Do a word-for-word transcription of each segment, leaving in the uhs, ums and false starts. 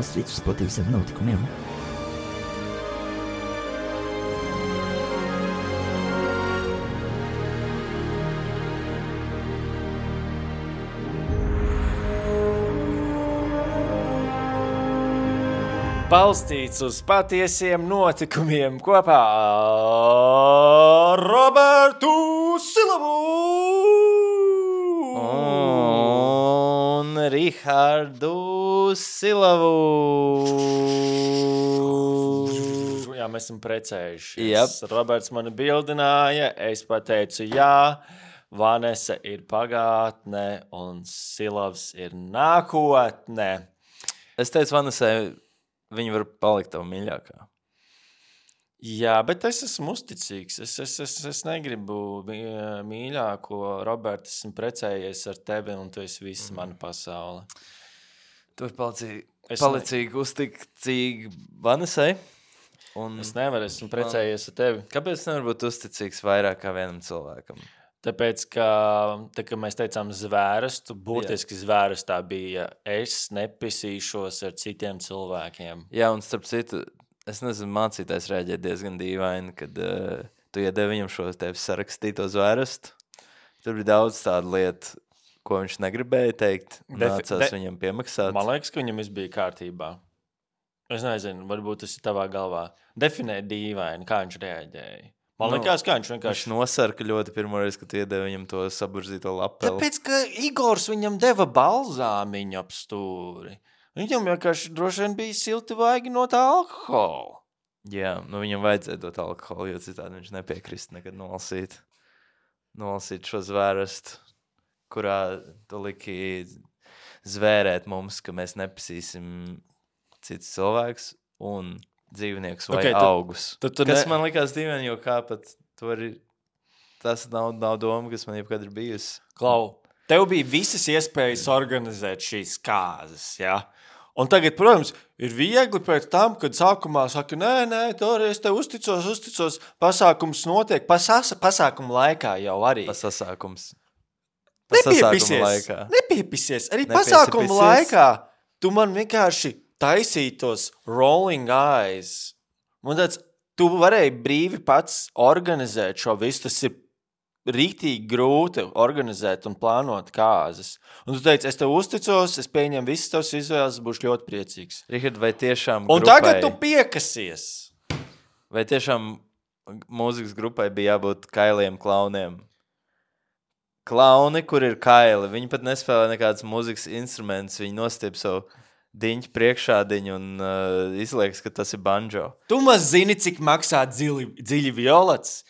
balstīts uz patiesiem notikumiem. Balstīts uz patiesiem notikumiem kopā ar Robertu Silavu un Rihardu Silavu. Jā, mēs esam precējušies. Yep. Roberts mani bildināja, es pateicu jā, Vanesa ir pagātne un Silavs ir nākotne. Es teicu Vanesai, viņa var palikt tavu mīļākā. Jā, bet es esmu uzticīgs. Es, es, es, es negribu mīļāko. Roberts, esmu precējies ar tevi, un tu esi viss mm. mana pasaule. Tu vari palicīgi, palicīgi ne... uzticīgi Vanesai. Un es nevaru, esmu precējies ar tevi. Kāpēc nevar būt uzticīgs vairāk kā vienam cilvēkam? Tāpēc, ka, tā, ka mēs teicām zvērstu, būtiski zvērstā bija es nepisīšos ar citiem cilvēkiem. Jā, un starp citu, es nezinu, mācītājs rēģēja diezgan dīvaini, kad uh, tu iedevi viņam šo tevi sarakstīto zvērstu. Tur bija daudz tādu lietu, ko viņš negribēja teikt, nācās de, viņam piemaksāt. Man liekas, ka viņam viss bija kārtībā. Es nezinu, varbūt tas ir tavā galvā. Definē dīvaini, kā viņš rēģēja. Man liekas, kā viņš vienkārši... Viņš nosarka ļoti pirmoreiz, kad iedeva viņam to saburzīto lapeli. Tāpēc, ka Igors viņam deva balzāmiņu ap stūri. Viņam vienkārši droši vien bija silti vaigi no tā alkohola. Jā, nu viņam vajadzēja dot alkoholu, jo citādi viņš nepiekrist nekad nolasīt. Nolasīt šo zvērstu, kurā tu liki zvērēt mums, ka mēs nepisīsim cits cilvēks un... dzīvnieks vai okay, augus. Tu, tu, tu kas ne... man likās dīvaini, jo kā pat tu vari... Tas nav, nav doma, kas man jebkad ir bijusi. Klau, tev bija visas iespējas organizēt šīs kāzas, jā? Un tagad, protams, ir viegli pēc tam, kad sākumā saka, nē, nē, toreiz te uzticos, uzticos, pasākums notiek, pasasa, pasākuma laikā jau arī. Pasasākums. Nepiepisies, laikā. nepiepisies. Arī pasākuma laikā tu man vienkārši taisītos rolling eyes. Man tāds, tu varēji brīvi pats organizēt šo visu. Tas ir rīktīgi grūti organizēt un plānot kāzas. Un tu teici, es tev uzticos, es pieņemu visas tavas izvēles, būšu ļoti priecīgs. Richard, vai tiešām un grupai... tagad tu piekasies. Vai tiešām mūzikas grupai bija jābūt kailiem klauniem? Klauni, kur ir kaili, viņi pat nespēlē nekādas mūzikas instrumentus, viņi nostiep savu diņķi priekšādiņu un uh, izliekas, ka tas ir banjo. Tu maz zini, cik maksā dziļi, dziļi violets?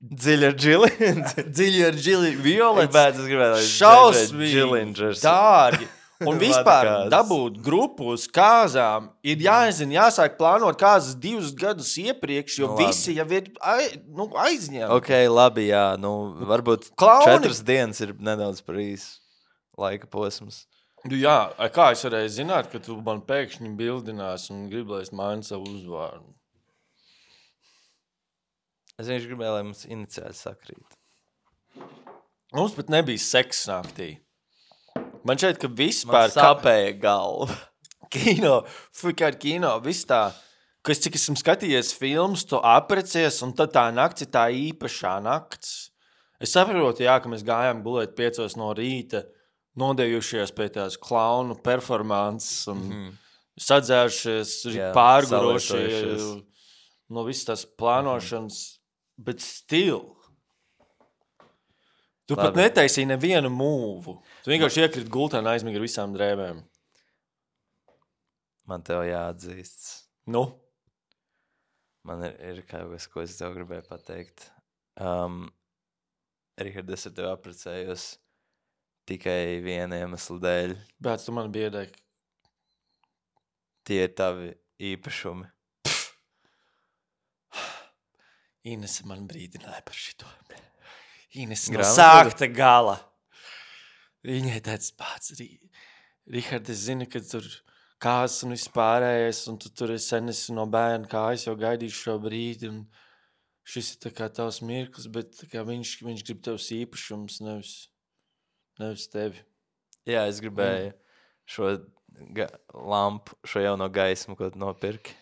Dziļi ar džili? Dziļi ar džili violets? Bet es gribētu, lai šausmīgi dārgi. Un vispār dabūt grupu uz kāzām ir jāzina, jāsāk plānot kāzas divus gadus iepriekš, jo nu, visi jau ir ai, nu, aizņemti. Ok, labi, jā. Nu, varbūt Klauni. Četras dienas ir nedaudz par īsu laika posms. Jā, kā es varēju zināt, ka tu man pēkšņi bildinās un gribi, lai es mainu savu uzvārdu? Es vienkārši gribēju, lai mums iniciāli sakrīt. Mums pat nebija seks naktī. Man šeit, ka vispār... Man sāpēja galva. Kino, fikār kino, viss tā, kas cik esmu skatījies filmas, tu aprecies, un tad tā nakts ir tā īpašā nakts. Es saprotu, jā, ka mēs gājām gulēt piecos no rīta, nodējušies pie tās klaunu performances un mm-hmm. sadzērušies, yeah, pārgurošie no visas tās plānošanas, mm-hmm. bet still. Tu Labi. Pat netaisīji nevienu mūvu. Tu vienkārši iekrīt gultā un aizmīgi ar visām drēbēm. Man tev jāatzīsts. Nu? Man ir, ir kaut kas, ko es tev gribēju pateikt. Um, Richard, es ar tev apprecējos tikai viena iemesla dēļ. Bet tu man biedēji. Tie ir tavi īpašumi. Inese man brīdināja par šito. Inese no sākta gala. Viņai tāds pats. Richard, es zinu, ka tur kāzas un viss pārējais, un tu tur sen esi no bērna kājas, jau gaidīšu šo brīdi, un šis ir tā kā tavs mirklis, bet tā kā viņš, viņš grib tavs īpašums, nevis... Nevis tevi. Jā, es gribēju šo ga lampu, šo jauno gaismu, ko tu nopirki.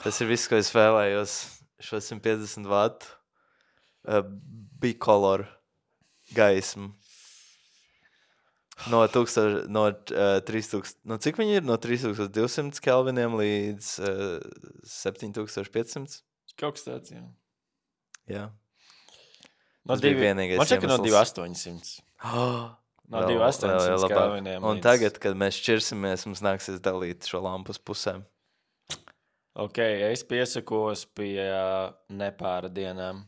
Tas ir viss, ko es vēlējos. Šo simt piecdesmit vatu uh, bicolor gaismu. No, tūkstoš, no, uh, trīs tūkstoši, no cik viņi ir? No trīs tūkstoši divsimt kelviniem līdz uh, septiņi tūkstoši piecsimt. Kaut kas tāds, jā. Jā. No Tas bija divi, vienīgais man šķiet, ka no iemesls. divi astoņsimt. Oh, No divi astoņsimt kelviniem. Un tagad, kad mēs šķirsimies, mums nāksies dalīt šo lampu uz pusēm. Ok, es piesakos pie uh, nepāra dienām.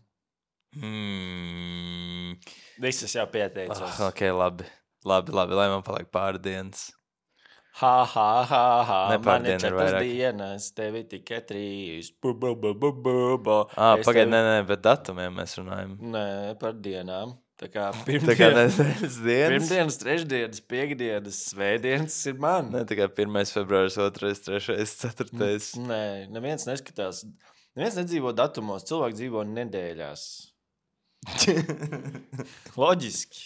Hmm. Visas jau pieteicos. Oh, ok, labi. Labi, labi, lai man paliek pārdienas. Ha, ha, ha, ha. Man ir Nepārdiena ir četras vairāk. dienas, tevi tikai trīs. Bu, bu, bu, bu, bu, bu. Ah, Es pagaid, tevi- nē, nē, bet datumiem mēs runājam. Nē, par dienām. Tā kā Tā kā pirmdienas, nedēļas dienas. pirmdienas, trešdienas, piekdienas, svētdienas ir man. Ne tikai pirmais februāris, otrais, trešais, ceturtais. Nē, neviens neskatās. Neviens nedzīvo datumos, cilvēki dzīvo nedēļās. Loģiski.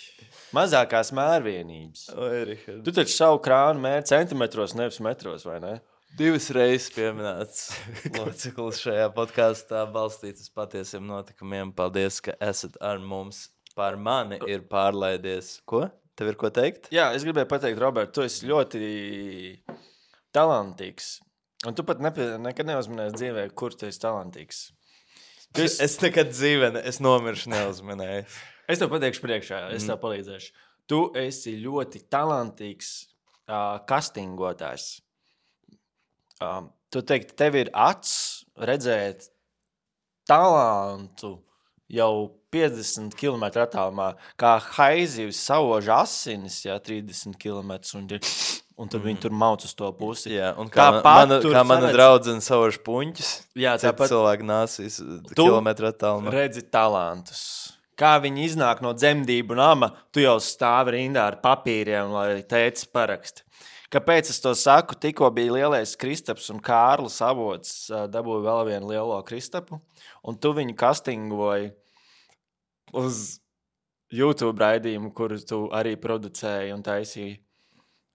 Mazākās mērvienības. Oi, Rihard. Tu taču savu krānu mēri centimetros, nevis metros, vai ne? Divas reizes pieminēts loceklis šajā podkāstā balstīts uz patiesiem notikumiem. Paldies, ka esat ar mums. Par mani ir pārlaidies. Ko? Tev ir ko teikt? Jā, es gribēju pateikt, Robert, tu esi ļoti talantīgs. Un tu pat nepie, nekad neuzminēsi dzīvē, kur tu esi talantīgs. Tu Es, esi, es nekad dzīvē, ne, es nomiršu neuzminēju. es tev pateikšu priekšā, es tev palīdzēšu. Tu esi ļoti talantīgs uh, kastingotājs. Um, tu teikti, tev ir acs redzēt talantu jau piecdesmit kilometru attālumā, kā haizivs sauž asinis, jā, trīsdesmit kilometrus, un, un tad mm. viņi tur mauc uz to pusi. Jā, un kā, Tāpat man, mana, tur kā mana saredz- draudzene sauž puņķus, Jā, citi tāpat cilvēki nāsīs Tu kilometru attālumā. redzi talantus. Kā viņi iznāk no dzemdību nama, tu jau stāvi rindā ar papīriem, lai tētis parakst. Kāpēc es to saku? Tikko bija lielais Kristaps un Kārlis Avots ā, dabūja vēl vienu lielo Kristapu, un tu viņu kastingoji uz YouTube raidījumu, kuru tu arī producēji un taisīji.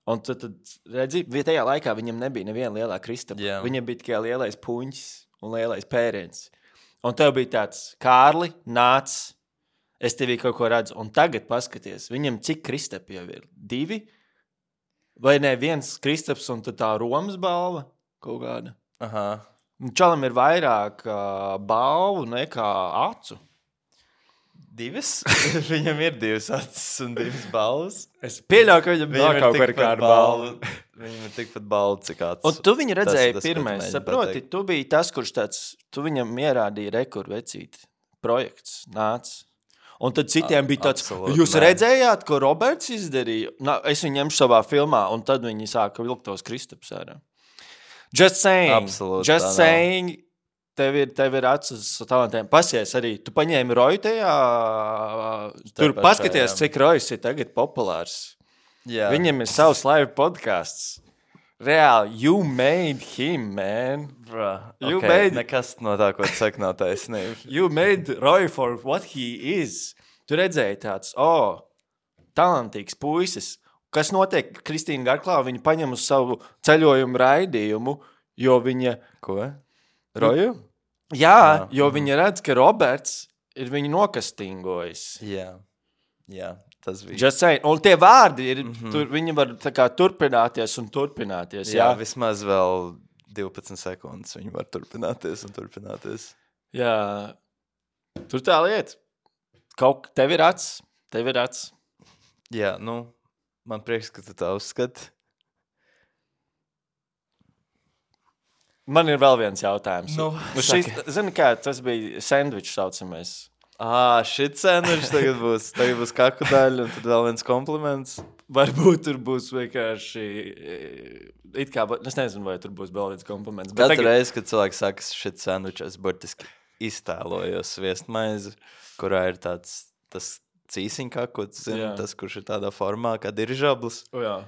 Un tu tad redzi, tajā laikā viņam nebija neviena lielā Kristapa. Jā. Viņam bija tikai lielais puņķis un lielais pēriens. Un tev bija tāds, Kārli, nāc, es tevī kaut ko redzu. Un tagad paskaties, viņam cik Kristapi jau ir? Divi? Vai ne viens Kristaps un tad tā Romas balva kaut kāda? Aha. Un Čalam ir vairāk uh, balvu nekā acu. Divas? Viņam ir divas acis un divas balvas. Es pieļauju, ka viņam Viņam nav ir kaut tikpat kāda balva. balva. Viņam ir tikpat balva, cik acis. Un tu viņu redzēji Tas ir tas, ko tu pirmais, mēģini saproti, pateikt. tu biji tas, kurš tāds, tu viņam ierādīji rekordu vecīt. Projekts nāc. Un tad citiem bija tāds, absolūti jūs nē. redzējāt, ko Roberts izdarīja? Nā, es viņu ņemšu savā filmā, un tad viņi sāka vilkt tos Kristaps ārā. Just saying. Absolūti tā Just nav. saying. Tev ir, tev ir acis uz talantiem. Pasies arī. Tu paņēmi Roju tajā. Tur pašā, paskaties, jā. cik Rojs ir tagad populārs. Jā. Viņam ir savs live podcasts. Reāli, you made him, man. Bro, You okay. made- Nekas no tā, ko tu saki, nav taisnība. You made Roy for what he is. Tu redzēji tāds, oh, talantīgs puisis. Kas notiek? Kristīna Garklā, viņa paņem uz savu ceļojumu raidījumu, jo viņa, Ko? Roju? jā, Jā. jo viņa redz, ka Roberts ir viņu nokastingojis. Jā. Jā, tas bija. Just saying. Un tie vārdi ir, Mhm. mm-hmm. tur, viņi var tā kā turpināties un turpināties. Jā, Jā, vismaz vēl divpadsmit sekundes viņi var turpināties un turpināties. jā. Tur tā lieta. Kaut tev ir acs, tev ir acs. Jā, nu, man prieks, ka tu tā uzskati. Man ir vēl viens jautājums. Nu, nu šis, zini kā, tas bija sandvičs saucamais. Ā, šit sandvičs tagad būs. Tagad būs kaku daļa un tad vēl viens kompliments. Varbūt tur būs vienkārši. It kā, es nezinu, vai tur būs vēl viens kompliments. Bet Katru tagad, reizi, kad cilvēks saka, šit sandvičs, es burtiski iztēlojos sviestmaizi, kurā ir tāds, tas cīsiņkakots, zini, Jā. tas, kurš ir tādā formā, kā dirižablis. o, jā.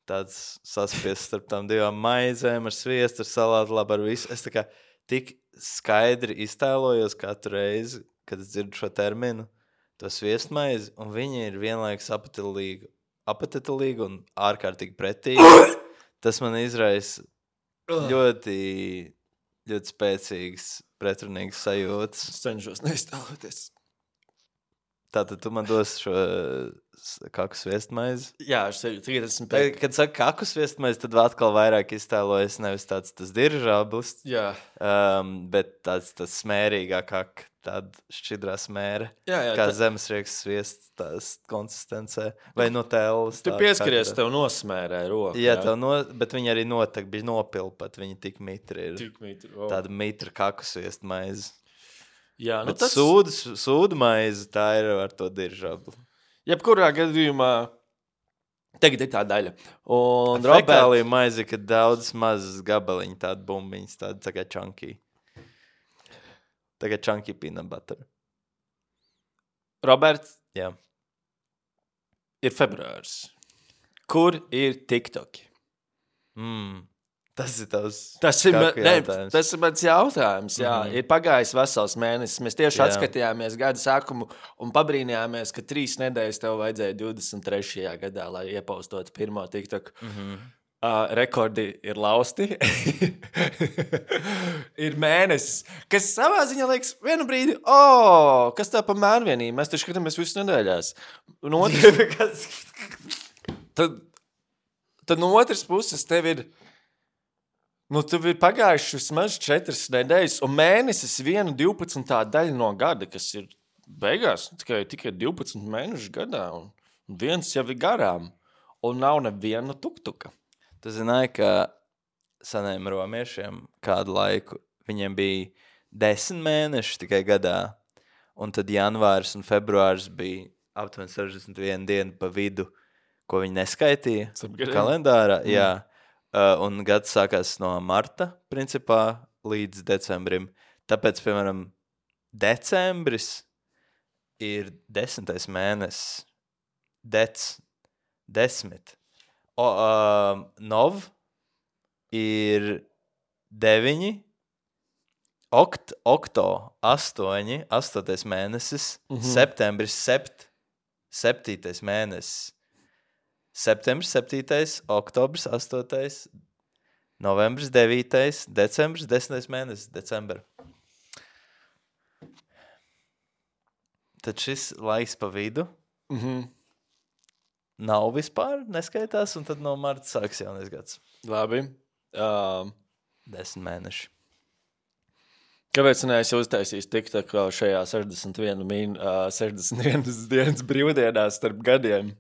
Tāds saspiests starp tām divām maizēm ar sviestu, ar salātu, labi ar visu. Es tā kā tik skaidri iztēlojos katru reizi, kad es dzirdu šo terminu, to sviestmaizi, un viņi ir vienlaikus apetilīgi, apetilīgi un ārkārtīgi pretīgi. tas man izraisa ļoti, ļoti spēcīgs, pretrunīgs sajūtas. Es cenšos neiztēloties. Tātad tu man dos šo kaku sviestmaizi? Jā, es tagad esmu Tad, kad saka kaku sviestmaizi, tad atkal vairāk iztēlojas nevis tāds tas diržāblis, Jā. um, bet tāds tas smērīgā kaka, tāda šķidrā smēra, Jā, jā, kā tā- zemesrieks sviests tās konsistencē, vai no tēlas. Tu pieskaries, tev nosmērē roku. Jā, tev no, bet viņi arī notek, bija nopilpat, viņi tik mitri ir. Tik mitri, o. Tāda mitra kaku sviestmaize. Jā, nu Bet tas... sūdu, sūdu maize, tā ir ar to diržābli. Jebkurā gadījumā tagad ir tā daļa. Un Roberts... Fekālija maize, kad daudz mazas gabaliņi, tāda bumbiņas, tāda tā kā chunky. Tā kā chunky peanut butter. Roberts, Jā. ir februārs. Kur ir TikToki? Mm. Tas ir tavs Tas ir, ma- kaku ne, jautājums. tas ir mans jautājums. Jā. Mhm. Mm-hmm. Ir pagājis vesels mēnesis. Mēs tieši Jā. atskatījāmies gada sākumu un pabrīnījāmies, ka trīs nedēļas tev vajadzēja divdesmit trešajā gadā, lai iepostotu pirmo TikToku. Mhm. Uh, rekordi ir lausti. Ir mēnesis, kas savā ziņā liekas, vienu brīdi, oh, kas tā pa mērvienību? Mēs taču skatāmies visas nedēļās. Un otrs, tad, tad no otras puses tev ir, nu, tev ir pagājuši vismaz četras nedēļas, un mēnesis viena divpadsmitā daļa no gada, kas ir beigās tikai, tikai divpadsmit mēnešu gadā, un viens jau ir garām, un nav neviena tuktuka. Tu zināji, ka seniem romiešiem kādu laiku viņiem bija desmit mēneši tikai gadā, un tad janvārs un februārs bija aptuveni sešdesmit viena diena pa vidu, ko viņi neskaitīja Starp gadiem? kalendārā. Mm. Jā, uh, un gads sākās no marta, principā, līdz decembrim. Tāpēc, piemēram, decembris ir desmitais mēnesis. Dec, desmit. O, uh, nov ir deviņi, okt, okto, astoņi, astotais mēnesis, Mhm. septembris, sept, septītais mēnesis, septembris, septītais, oktobris, astotais, novembris, devītais, decembris, desmitais mēnesis, decembra. Tad šis laiks pa vidu Mhm. nav vispār, neskaitās, un tad no marta sāks jaunais gads. Labi. Um, Desmit mēneši. kāpēc neesi uztaisījis TikTok vēl šajā sešdesmit viena min, uh, sešdesmit vienas dienas brīvdienās starp gadiem?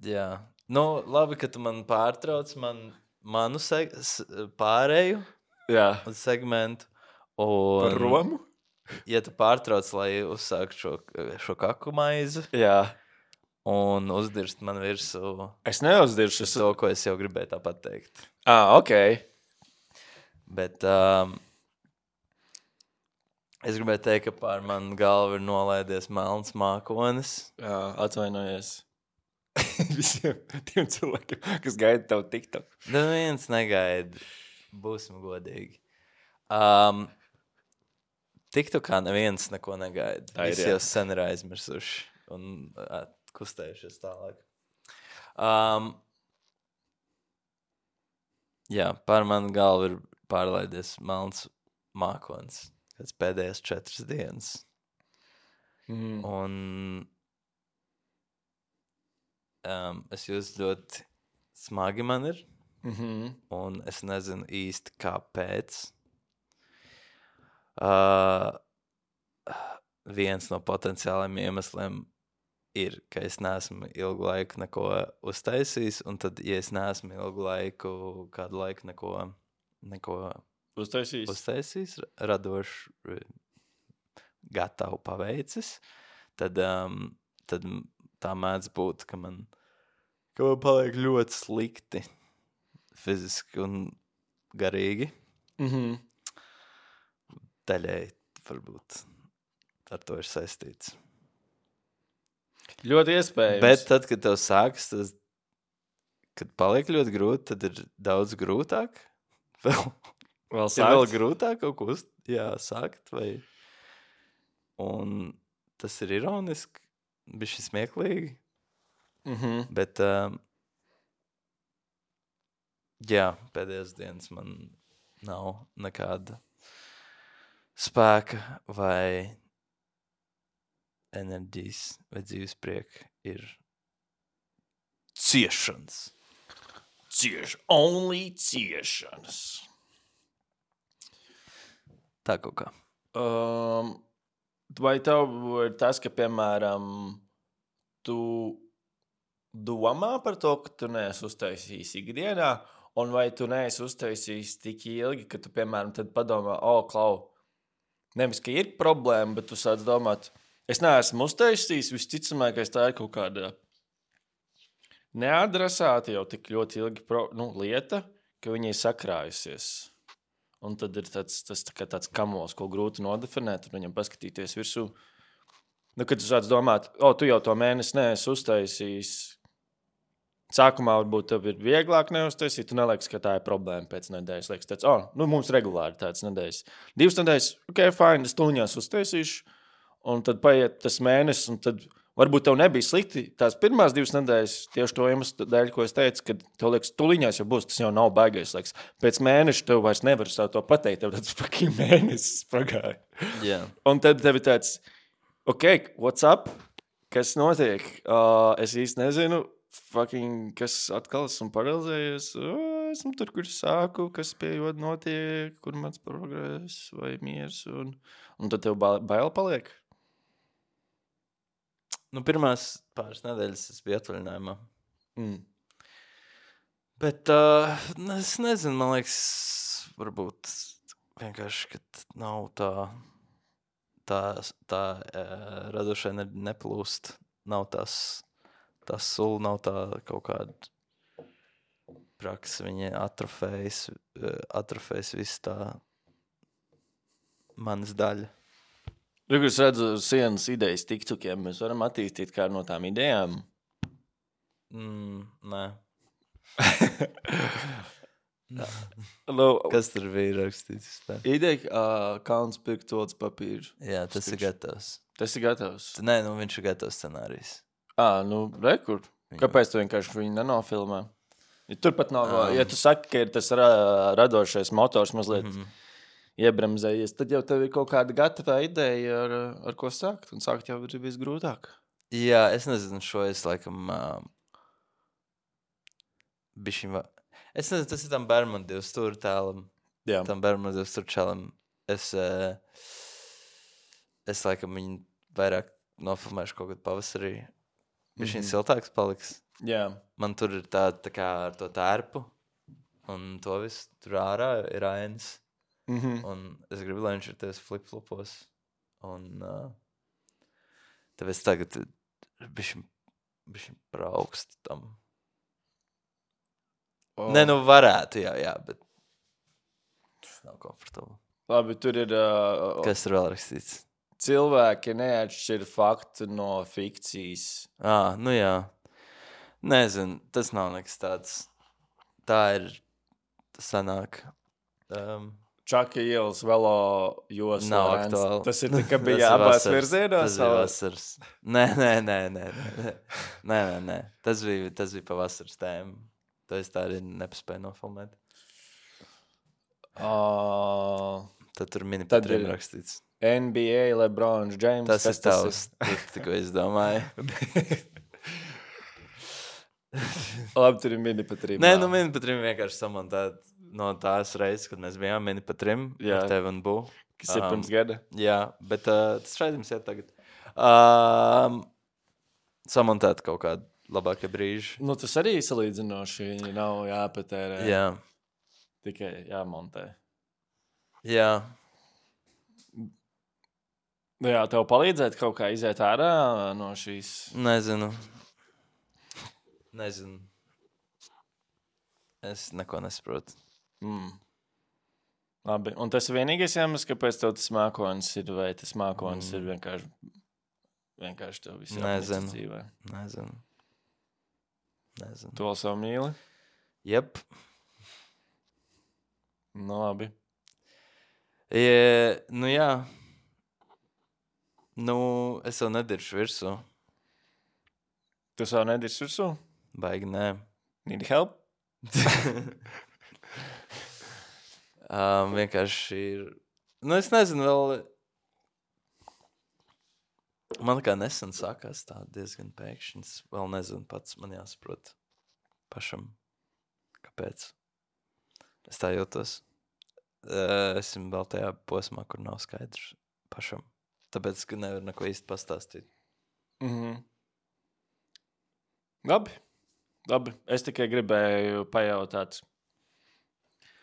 Jā. Nu, labi, ka tu man pārtrauc man, manu seg s- pārēju Jā. segmentu. Par Un, Romu? ja tu pārtrauc, lai uzsāktu šo, šo kaku maizi Jā. un uzdirst man virsū Es neuzdiršu. Es... to, ko es jau gribēju tāpat teikt. Ah, ok. Bet um, es gribēju teikt, ka pār manu galvu ir nolaidies melns mākonis. Jā, atvainojies. Visiem tiem cilvēkiem, kas gaida tavu TikTok. Nu, viens negaida. Būsim godīgi. Um, TikTokā neviens neko negaida. Tā ir, Visi jā. jau sen ir aizmirsuši un uh, kustējušies tālāk. Um, jā, pār manu galvu ir pārlaidies melns mākonis. Pēc pēdējās četras dienas. Mm. Un um, es jūtu ļoti smagi man ir. Mm-hmm. Un es nezinu īsti kāpēc. Uh, viens no potenciāliem iemesliem ir, ka es neesmu ilgu laiku neko uztaisījis, un tad, ja es neesmu ilgu laiku, kādu laiku neko, neko Uztaisīs. uztaisījis, radošu, gatavu paveicis, tad, um, tad tā mēdz būt, ka man, ka man paliek ļoti slikti fiziski un garīgi. Mm-hmm. Daļēji varbūt ar to ir saistīts. Ļoti iespējams. Bet tad, kad tev sākas, tas, kad paliek ļoti grūti, tad ir daudz grūtāk. Vēl, vēl ir vēl sākt? grūtāk kaut ko uz, jā, sākt. Vai... Un tas ir ironiski, bišķi smieklīgi. Mm-hmm. Bet um, Jā, pēdējās dienas man nav nekāda spēka vai enerģijas vai dzīves prieka. Ir ciešanas. Cieš, only ciešanas. Tā kaut kā. Um, vai tev ir tas, ka, piemēram, tu domā par to, ka tu neesi uztaisījis ikdienā, un vai tu neesi uztaisījis tik ilgi, ka tu, piemēram, tad padomā, o, oh, klau, nevis, ka ir problēma, bet tu sāc domāt, es neesmu uztaisījis, visticamākais tā ir kaut kāda neadresēta jau tik ļoti ilgi pro, nu, lieta, ka viņai sakrājusies. Un tad ir tāds, tas tā kā tāds kamols, ko grūti nodefinēt, un viņam paskatīties virsū. Nu, kad tu sāc domāt, o, tu jau to mēnesi neesi uztaisījis. Sākumā varbūt tev ir vieglāk neuztaisīt, tu neliekas, ka tā ir problēma pēc nedēļas. Liekas, tāds, o, nu, mums regulāri tāds nedēļas. Divas nedēļas, ok, fine, es tuliņās uztaisīšu, un tad paiet tas mēnesis, un tad varbūt tev nebija slikti tās pirmās divas nedēļas, tieši to iemeslu dēļ, ko es teicu, kad tev liekas, tuliņās jau būs, tas jau nav baigais. Liekas. Pēc mēneša tev vairs nevar savu to pateikt, tev tāds fucking mēnesis pagāja. Yeah. Un tad tev ir tāds, ok, what's up? Kas notiek? Uh, es īsti nezinu, fucking, kas atkal esmu paralizējies. Uh, esmu tur, kur sāku, kas pie joda notiek, kur mans progress vai miers. Un, un tad tev bail paliek. Nu, pirmās pāris nedēļas es biju atvaļinājumā. Mm. Bet uh, es nezinu, man liekas, varbūt vienkārši, ka nav tā, tā, tā uh, radošai ne, neplūst. Nav tas, tas sula, nav tā kaut kāda praksa. Viņa atrofējas, atrofējas viss tā manas daļa. Tur, es redzu sienas idejas tiktokiem, mēs varam attīstīt kādu no tām idejām. Mm, nē. no, Kas tur bija rakstīts? Ideja, uh, kauns pirkt olas papīru. Jā, tas Stiks. ir gatavs. Tas ir gatavs? Nē, nu viņš ir gatavs scenārijs. Ā, nu, rekur. Kāpēc tu vienkārši viņu nenofilmē? Ja turpat nav, um. ja tu saki, ka ir tas ra radošais motors mazliet... Mm-hmm. Iebremzējies, tad jau tev ir kaut kāda gatavā ideja, ar, ar ko sākt. Un sākt jau ir visgrūtāk. Jā, es nezinu, šo es laikam... Uh, bišķiņ... Es nezinu, tas ir tam Berman divu stūru tēlam. Jā. Tam Berman divu stūru čelam. Es, uh, es laikam viņu vairāk nofilmēšu kaut kad pavasarī. Bišķiņ mm-hmm. siltāks paliks. Jā. Man tur ir tā, tā kā ar to tērpu. Un to visu tur ārā ir ainas. Mm-hmm. Un es gribu, lai viņš ir tevis flip-flopos. Un uh, tāpēc tagad bišķiņ, bišķiņ par augstu tam. Oh. Nē, nu varētu, jā, jā, bet tas nav komfortabli. Labi, tur ir... Uh, Kas tur vēl rakstīts? Cilvēki neatšķir faktu no fikcijas. Ā, nu jā. Nezinu, tas nav nekas tāds. Tā ir sanāk. Um, Čaka ielas velo josla. Nav aktuāli. Tas ir tikai bija abās virzienos? Tas bija vasars. Nē, nē, nē, nē, nē, nē, nē, nē. Tas bija, tas bija pa vasaras tēmu. To es tā arī nepaspēju nofilmēt. Uh, Tad tur mini patrim rakstīts. N B A, LeBron James. Tas ir tavs, tikko es domāju. Labi, tur ir mini patrim. Nē, nu mini patrim vienkārši samontēt. No tās reizes, kad mēs bijām mini pa trim, ar tevi un bū. Kas ir pirms um, gada. Jā, bet uh, tas raidījums iet tagad. Um, samontēt kaut kādu labākie brīži. Nu, tas arī salīdzinoši nav jāpatērē. Jā. Tikai jāmontē. Jā. Nu jā, tev palīdzēt kaut kā iziet ārā no šīs? Nezinu. Nezinu. Es neko nesaprotu. Mm. Labi, un tas ir vienīgais iemesls, kāpēc tev tas mākonis ir, vai tas mākonis mm. ir vienkārši, vienkārši tev visu Nezinu. Dzīvē? Nezinu. Nezinu. Tu vēl savu mīli? Jep. Nu, labi. Ja, nu, jā. Nu, es jau nediršu virsū. Tu jau nediršu virsū? Baigi, nē. Need help? Um, vienkārši ir... Nu, es nezinu, vēl... Man kā nesen sākās tā diezgan pēkšņi. Es vēl nezinu pats, man jāsaprot pašam, kāpēc. Es tā jūtos. Uh, esmu vēl tajā posmā, kur nav skaidrs pašam. Tāpēc, ka nevar neko īsti pastāstīt. Mhm. Labi. Labi. Es tikai gribēju pajautāt.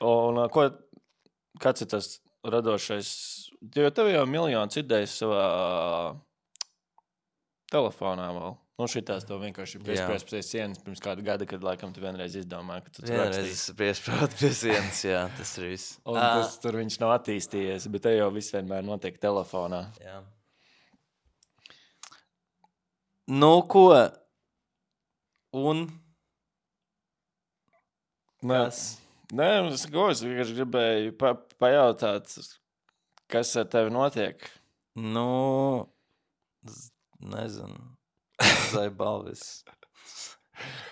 Un ko, kāds ir tas radošais? Jo tev jau miljonus idejas savā telefonā vēl. Nu, šitās to vienkārši piespriezt pie sienas pirms kādu gada, kad laikam tu vienreiz izdomāji, ka tu tur Vienreiz rakstīsi. piesprāt pie sienas, jā, tas ir viss. Un tas tur viņš nav attīstījies, bet te jau viss vienmēr notiek telefonā. Jā. Nu, ko? Un? Nē, nē es, ko, es vienkārši gribēju pa, pajautāt, kas ar tevi notiek. Nu, z- nezinu. Zai balvis.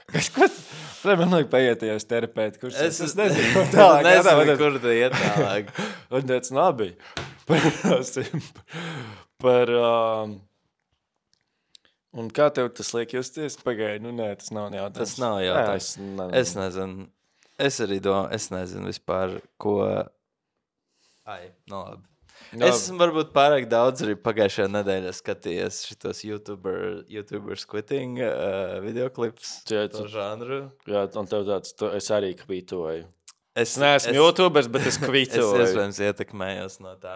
Kas, kas? Tad man liek paietījos terapēt, kurš Es, es nezinu, ko es tālāk. nezinu, jādā, kur tu iet tālāk. Un tāds labi. Par, par um, un kā tev tas liek justies? Pagaidi, nu nē, tas nav jautājums. Tas nav jautājums. Jā, es, ne, Es nezinu. Es arī domāju, es nezinu vispār, ko... Ai, nu labi. Jā. Es esmu varbūt pārāk daudz arī pagājušajā nedēļā skatījies šitos YouTuber, YouTubers quitting uh, videoklips. Jā, To tu- žanru. Jā, un tev tāds, tu, es arī kvītoju. Es Es neesmu es, YouTubers, bet es Es kvītoju. iespējams ietekmējos no tā.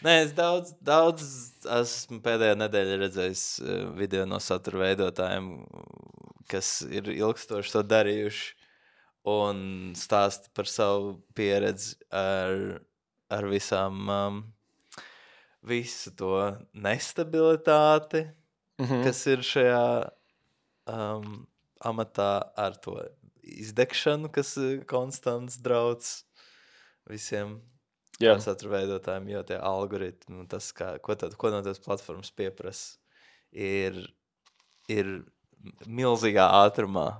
Nē, es daudz, daudz esmu pēdējā nedēļā redzējis uh, video no satura veidotājiem, kas ir ilgstoši to darījuši un stāsta par savu pieredzi ar, ar visām, um, visu to nestabilitāti, Mhm. kas ir šajā um, amatā ar to izdegšanu, kas ir konstants drauds visiem Jā. satura veidotājiem, jo tie algoritmi, un tas, kā, ko, tad, ko no tās platformas pieprasa, ir, ir milzīgā ātrumā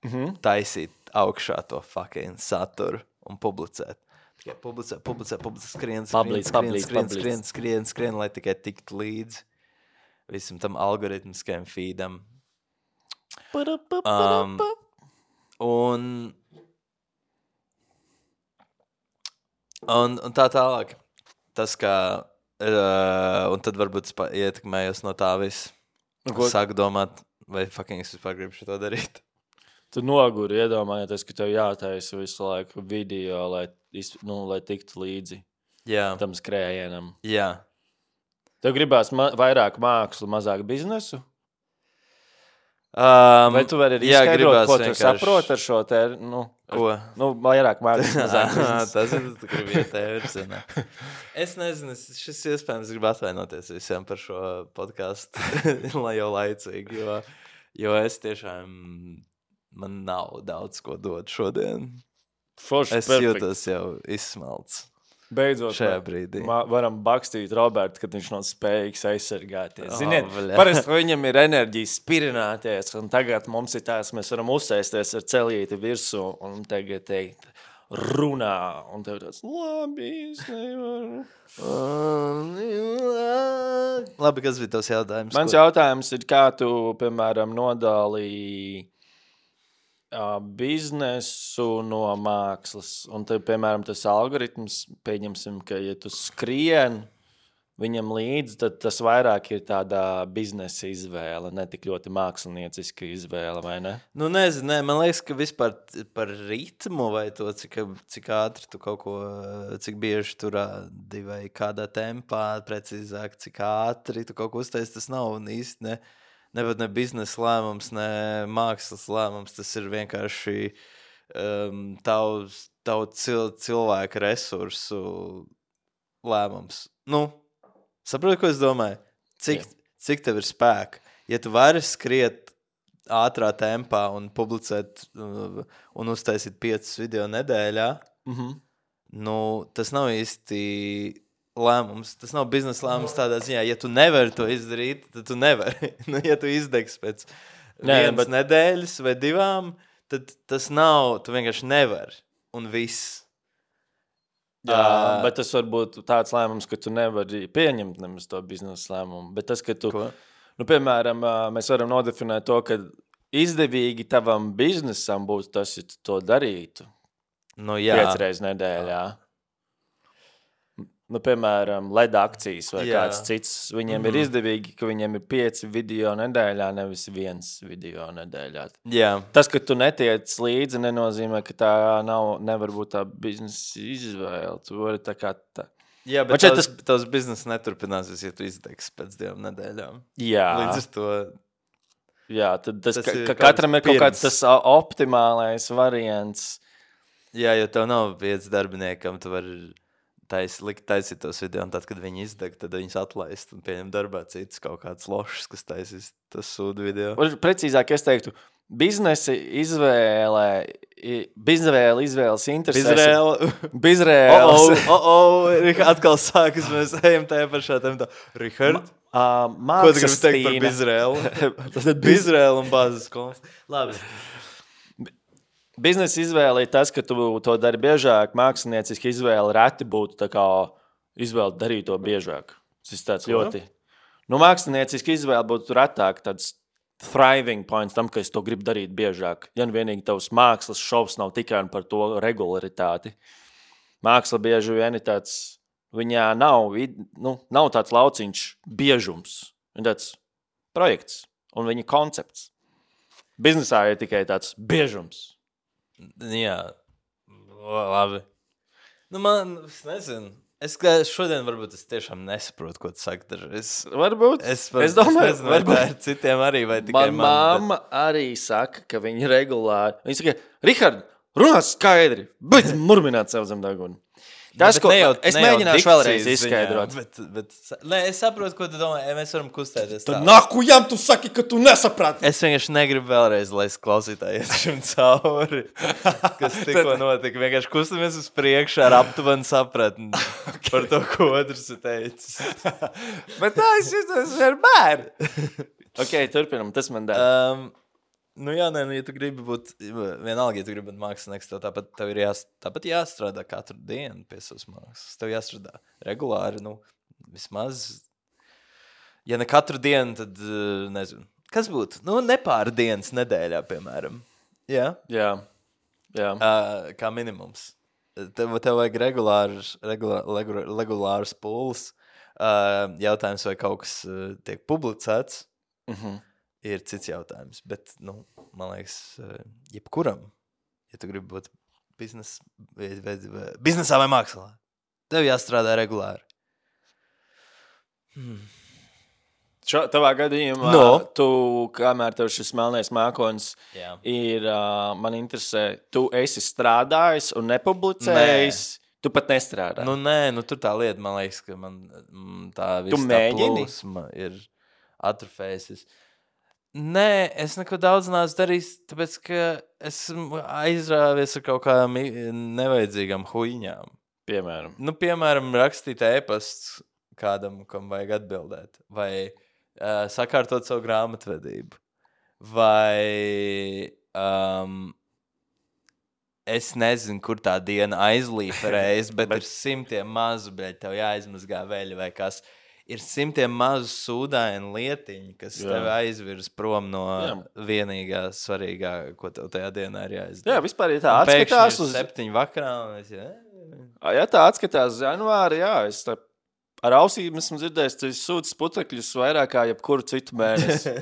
Mhm. taisīt augšā to fucking saturu un publicēt. Tikai publicē, publicē, publicē, skrien, skrien, Public, skrien, public, skrien, public. skrien, skrien, skrien, lai tikai tiktu līdzi visam tam algoritmiskajam feedam. Um, un, un, un tā tālāk. Tas, kā, uh, un tad varbūt es pa- ietekmējos no tā viss. Ko- Sāku domāt, vai fucking es vispār gribu šo darīt. Tu noguri iedomājoties, ka tev jātaisa visu laiku video, lai, iz- nu, lai tiktu līdzi Jā, tam skrējienam. jā. Tev gribās ma vairāk mākslu, mazāk biznesu? Um, Vai tu vari arī jā, izskaidrot, gribās ko tu vienkārši- saproti ar šo te, nu, Ko? nu vairāk mākslas, mazāk biznesu? Tas ir tas, kur vietēji virzienā. Es nezinu, es, šis iespējams grib atvainoties visiem par šo podcastu, lai jau laicīgi, jo, jo es tiešām, man nav daudz ko dot šodien. Forši, Es perfekt. jūtos jau izsmelts Beidzot, šajā ma- brīdī. ma- varam bakstīt Robertu, kad viņš nav spējīgs aizsargāties. Oh, Ziniet, bļa. parasti viņam ir enerģija spirināties, un tagad mums ir tās, mēs varam uzsēsties ar celīti virsū un tagad teikt, runā, un tev tāds, labi, es nevaru. Labi, kas bija tavs jautājums? Mans Ko- jautājums ir, kā tu, piemēram, nodalīji uh, biznesu no mākslas. Un tad, piemēram, tas algoritms, pieņemsim, ka, ja tu skrien viņam līdzi, tad tas vairāk ir tāda biznesa izvēle, ne tik ļoti mākslinieciska izvēle, vai ne? Nu, nezinu, nē, man liekas, ka vispār t- par ritmu vai to, cik, cik ātri tu kaut ko, cik bieži tu rādi vai kādā tempā, precīzāk, cik ātri tu kaut ko uztaisi, tas nav un īsti ne, ne, ne biznesa lēmums, ne mākslas lēmums, tas ir vienkārši um, tavs, tavu cil, cilvēku resursu lēmums. Nu, saproti, ko es domāju? Cik, cik tev ir spēka? Ja tu vari skriet ātrā tempā un publicēt uh, un uztaisīt piecus video nedēļā, Mhm. nu, tas nav īsti lēmums. Tas nav biznesa lēmums tādā ziņā. Ja tu nevari to izdarīt, tad tu nevari. Nu, ja tu izdegs pēc Nē, vienas bet- nedēļas vai divām, tad tas nav, tu vienkārši nevari. Un viss. Jā, bet tas var būt tāds lēmums, ka tu nevari pieņemt nemaz to biznesa lēmumu. Bet tas, ka tu, Ko? nu, piemēram, mēs varam nodefinēt to, ka izdevīgi tavam biznesam būtu tas, ja tu to darītu Nu, jā. piecas reizes nedēļā. Nu, piemēram, L E D akcijas vai Jā. kāds cits. Viņiem mm-hmm. ir izdevīgi, ka viņiem ir pieci video nedēļā, nevis viens video nedēļā. Jā. Tas, ka tu netiec līdzi, nenozīmē, ka tā nav, nevar būt tā biznesa izvēle. Tu vari tā kā tā. Jā, bet šeit tavs, tavs biznesa neturpināsies, ja tu izdegs pēc divām nedēļām. Jā. Līdz ar to... Jā, tad tas, Tas ka, ir ka kaut katram ir kaut pirms. kāds tas optimālais variants. Jā, jo tev nav viens darbiniekam, tu vari tais, likt taisīt tos video, un tad, kad viņi izdeg, tad viņus atlaist un pieņem darbā citus kaut kāds lošs, kas taisīs tas sūdu video. Un precīzāk es teiktu, biznesa izvēle, i- bizvēle izvēles interesēs. Bizrēla. Bizrēles. O, o, o, atkal sākas, mēs ejam tajā pašā tematā. Richard, Uh, ko tu gribi teikt par Bizrēlu? Bizrēlu? Bizrēlu un bāzes konfliktu. Labi. Biznesa izvēle ir tas, ka tu to dari biežāk. Mākslinieciski izvēle reti būtu tā kā izvēle darīt to biežāk. Tas ir tāds Ko? ļoti. Nu, mākslinieciski izvēle būtu retāk tāds thriving points tam, ka es to gribu darīt biežāk. Ja nu vienīgi tavs mākslas šovs nav tikai par to regularitāti. Māksla bieži vien ir tāds, viņā nav, vid- nu, nav tāds lauciņš biežums. Viņa tāds projekts un viņa koncepts. Biznesā ir tikai tāds biežums. Jā, O, labi. Nu, man, es nezinu. Es kā šodien varbūt es tiešām nesaprotu, ko tu saki. Es, Varbūt. es, Es domāju, es nezinu, vai tā ir citiem arī, vai tikai Man man. mamma arī saka, ka viņa regulāri. Viņa saka, Rihard, runā skaidri, bet murmināt sev zem deguna. Tas, Bet ko ne jau- es ne jau mēģināšu dikcijas vēlreiz ziņā, izskaidrot. Bet, bet, nē, es saprotu, ko tu domā. Mēs varam kustēties Tad tā. nakujam tu saki, ka tu nesaprati. Es vienkārši negribu vēlreiz, lai es klausītāji iet šim cauri, kas tikko notika. Vienkārši kustamies uz priekšu ar aptuvenu sapratni par to, ko otrs ir teicis. Bet tā es jūtos ar bērnu. Ok, turpinam, tas man dara. Um, nu jā, nē, nu, ja tu gribi būt, vienalga, ja tu gribi būt mākslinieks, tev tāpat, tev ir jās, tāpat jāstrādā katru dienu pie savas mākslas. Tev jāstrādā regulāri, nu, vismaz, ja ne katru dienu, tad, uh, nezinu, kas būtu? Nu, nepāra dienas nedēļā, piemēram. Jā, Jā, jā. uh, kā minimums. Tev, tev vajag regulārs, regulārs, regulārs pūles. Uh, jautājums, vai kaut kas uh, tiek publicēts, Mhm. ir cits jautājums. Bet, nu, man liekas, uh, jebkuram, ja tu gribi būt biznes, vai, vai, vai, biznesā vai mākslā, tev jāstrādā regulāri. Hmm. Šo, tavā gadījumā, No. tu, kamēr tev šis melnais mākonis Jā. ir, uh, man interesē, tu esi strādājis un nepublicējis, tu pat nestrādā. Nu, nē, nu, tur tā lieta, man liekas, ka man mm, tā Tu visa tā mēģini? plūsma ir atrofējusies. Nē, es neko daudz neesmu darījis, tāpēc, ka esmu aizrāvies ar kaut kādām i- nevajadzīgām huīņām. Piemēram. Nu, piemēram, rakstīt ēpasts kādam, kam vajag atbildēt, vai uh, sakārtot savu grāmatvedību, vai um, es nezinu, kur tā diena aizlīferējas, bet ir simtiem mazu, bet tev jāizmazgā veļa vai kas. Ir simtiem mazu sūdainu lietiņu, kas Jā. tev aizvirs prom no Jā. vienīgā svarīgā, ko tev tajā dienā ir jāizdara. Jā, vispār, ja tā Un pēkšņi atskatās ir uz... septiņu vakarā, un es, jā, Ja tā atskatās uz janvāri, jā, es tā ar ausīm esmu dzirdējis, ka es sūtu putekļus vairāk kā jebkuru citu mēnesi.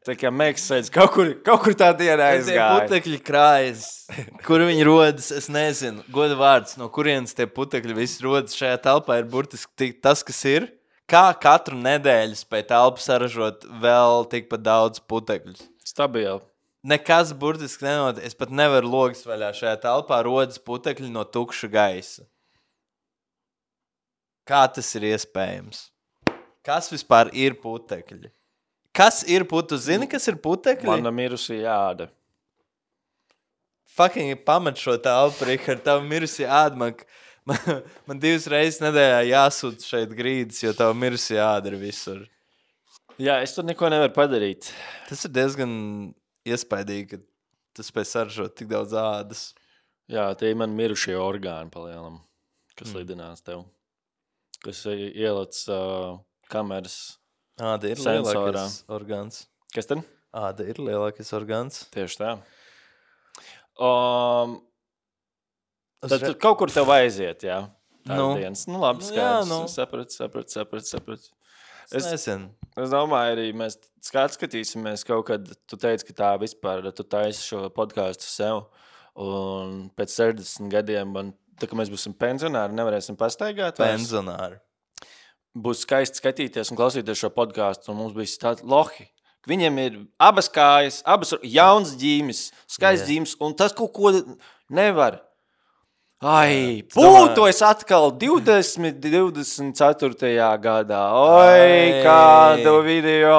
Tā kā mēģis sēdz, kaut kur, kaut kur tā diena Tie aizgāja. putekļi krājas, kur viņi rodas, es nezinu, goda vārds, no kurienes tie putekļi visi rodas šajā telpā ir burtiski tik- tas, kas ir. Kā katru nedēļu spēj telpu saražot vēl tikpat daudz putekļus? Stabili. Nekas burtiski nenotiek. Es pat nevaru logas vaļā šajā telpā, rodas putekļi no tukša gaisa. Kā tas ir iespējams? Kas vispār ir putekļi? Kas ir putekļi? Zini, kas ir putekļi? Mana mirusī jāda. Fucking pamet šo telpu, Rihard, tavu mirusī āda. Man, man, man divas reizes nedēļā jāsūta šeit grīdas, jo tavu mirusī āda ir visur. Jā, es tur neko nevaru padarīt. Tas ir diezgan iespaidīgi, ka tu spēj saražot tik daudz ādas. Jā, tie ir man mirušie orgāni palielam. kas mm. lidinās tev. Kas ielic uh, kameras Āda ir sensorā. Lielākais orgāns. Kas tad? Āda ir lielākais orgāns. Tieši tā. Um, tad re... kaut kur tev aiziet, jā. Tās nu. dienas. Nu, labi, nu, skaidrs. Jā, nu. Saprat, saprat, saprat, saprat. Es, es nezinu. Es domāju, arī mēs skatīsimies kaut kad. Tu teici, ka tā vispār, tu taisi šo podcastu sev. Un pēc sešdesmit gadiem, man, tā kā mēs būsim pensionāri, nevarēsim pastaigāt. Pensionāri. Būs skaisti skatīties un klausīties šo podcastu. Un mums bija tāds lohi. Viņiem ir abas kājas, abas jauns ģīmis, skaists yeah. ģīmis. Un tas kaut ko nevar. Ai, būtu es atkal divdesmit, divdesmit ceturtajā gadā. Oi, kādu video.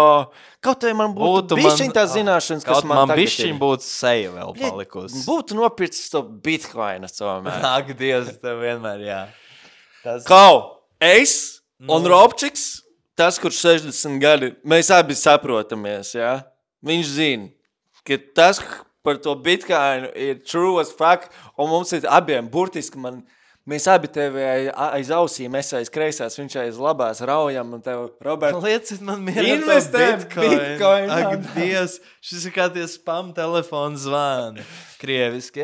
Kaut vai man būtu, būtu bišķiņ tā zināšanas, kas man, man tagad ir. Bišķiņ būtu seja vēl palikusi. Būtu nopircis to bitcoinu tomēr. Ak, Dievs, tev vienmēr, jā. Tas... Kau, es no. un Robčiks, tas, kurš sešdesmit gadi, mēs abi saprotamies, jā. Viņš zina, ka tas... par to bitcoinu ir true as fuck, un mums ir abiem burtiski, man, mēs abi tevi aiz ausīm, es aiz kreisās, viņš aiz labās raujam, un tev, Robert, liecit man mierā to bitcoin. bitcoin. Ak, Dievs, šis ir kā tie spam telefonu zvani. Krieviski,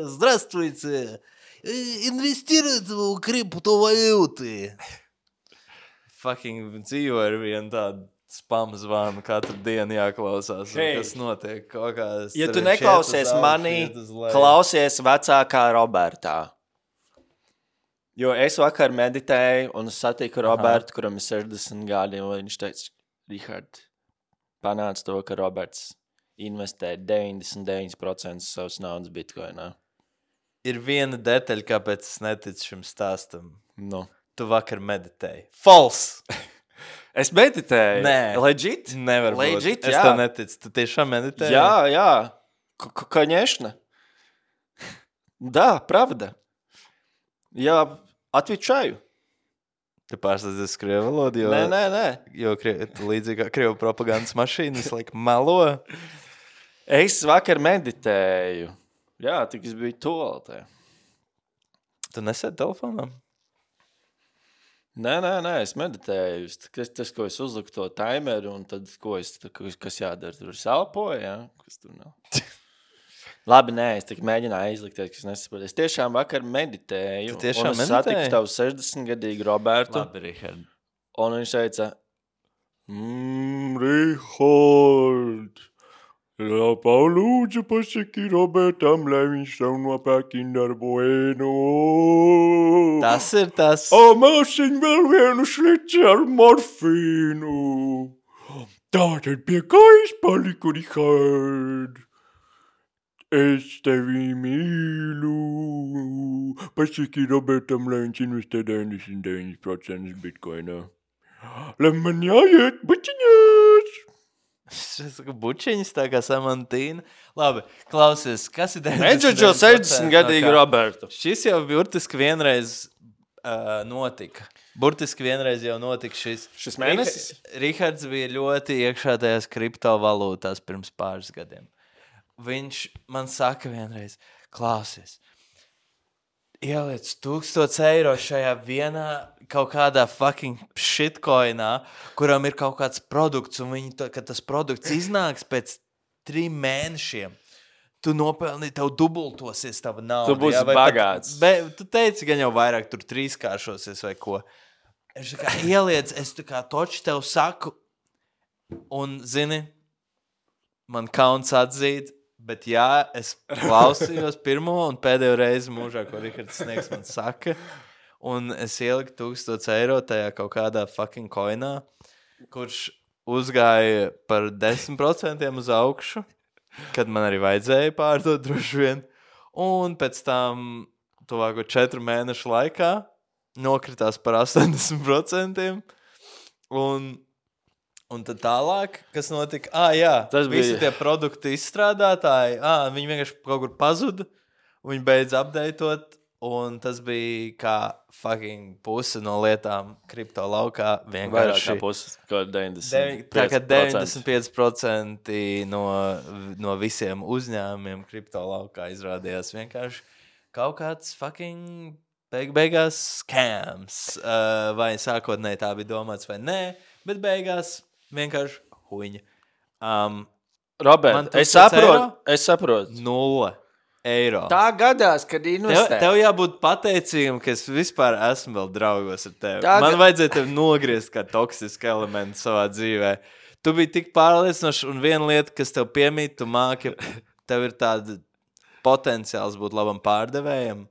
здравствуйте, инвестируйте в криптовалюты. Fucking dzīvo ar vienu tādu spam zvanu, katru dienu jāklausās, hey. Kas notiek kaut kādas... Ja tu neklausies manī, klausies vecākā Robertā. Jo es vakar meditēju un satiku Robertu, Aha. kuram ir sešdesmit gadi, un viņš teica, Rihard, panāc to, ka Roberts investē deviņdesmit deviņi procenti savas naudas bitcoinā. Ir viena detaļa, kāpēc es neticu šim stāstam. Nu. Tu vakar meditēji. False! Es meditēju. Nē. Legit? Nevar Legit, būt. Es jā. tev neticu. Tu tiešām meditēji? Jā, jā. K- конечно. Да, правда. Я отвечаю. Tu pārstādzies krievu valodu, jo... Nē, nē, nē. Jo krie... tu līdzīgi kā krievu propagandas mašīna visu laiku melo. Es vakar meditēju. Jā, tik es biju toaletē. Tu nesēdi telefonā? Nē, nē, nē, es meditēju. Tas, tas ko es uzliku to timeru, un tad, ko es, kas jādara, tur es elpoju, jā? Kas tur nav? Labi, nē, es tik mēģināju aizlikties, kas nesapratu. Es tiešām vakar meditēju, tu tiešām un es satiku tavu sešdesmitgadīgu Robertu. Labi, Rihard. Un viņš teica, mmm, Rihard, palūdzu pasaki Robertam, lai viņš tev nopērk Kinder Bueno. Tas ir tas. O, māsiņ vēl vienu šlici ar morfīnu. Tātad pie kājas paliku, Rihard. Es tevi mīlu. Pasaki Robertam, lai viņš investē deviņdesmit deviņi procenti bitcoinā. Lai man jāiet bučiņās. Šis kā bučiņas, tā kā Samantīna. Labi, klausies, kas ir deviņdesmit deviņi sešdesmitgadīgu Robertu. Šis jau burtiski vienreiz uh, notika. Burtiski vienreiz jau notika šis. Šis mēnesis? Rihards bija ļoti iekšā tajās kriptovalūtās pirms pāris gadiem. Viņš man saka vienreiz, klausies, ieliec tūkstots eiro šajā vienā kaut kādā fucking shitcoinā, kuram ir kaut kāds produkts, un viņi, to, kad tas produkts iznāks pēc trim mēnešiem, tu nopelni, tev dubultosies tava nauda. Tu būsi jā, bagāts. Pat, be, tu teici, gan jau vairāk tur trīskāršosies vai ko. Es tā kā ieliec, es tā kā toči tev saku, un zini, man kauns atzīt, bet jā, es klausījos pirmo un pēdējo reizi mūžā, ko Rihards Sniegs man saka, un es ieliku tūkstots eiro tajā kaut kādā fucking coinā, kurš uzgāja par desmit procentiem uz augšu, kad man arī vajadzēja pārdot droši vien, un pēc tam tuvāko četru mēnešu laikā nokritās par astoņdesmit procentiem, un Un tad tālāk, kas notika, ā, jā, tas visi bija... tie produktu izstrādātāji, ā, viņi vienkārši kaut kur pazuda, viņi beidz updateot, un tas bija kā fucking puse no lietām kripto laukā vienkārši. Vairāk kā puse, kā deviņdesmit pieci procenti. Tā kā deviņdesmit pieci procenti no, no visiem uzņēmumiem kripto laukā izrādījās vienkārši kaut kāds fucking beig beigās scams. Uh, vai sākotnēji tā bija domāts vai nē, bet beigās vienkārši huņa. Um, Robert, es saprotu, es saprotu. Nulle eiro. Tā gadās, kad investē. Tev, tev jābūt pateicīgam, ka es vispār esmu vēl draugos ar tevi. Tā Man ga- vajadzēja tevi nogriezt kā toksisku elementu savā dzīvē. Tu biji tik pārliecinošs, un viena lieta, kas tev piemīt, tu māki, tev ir tāda potenciāls būt labam pārdevējam.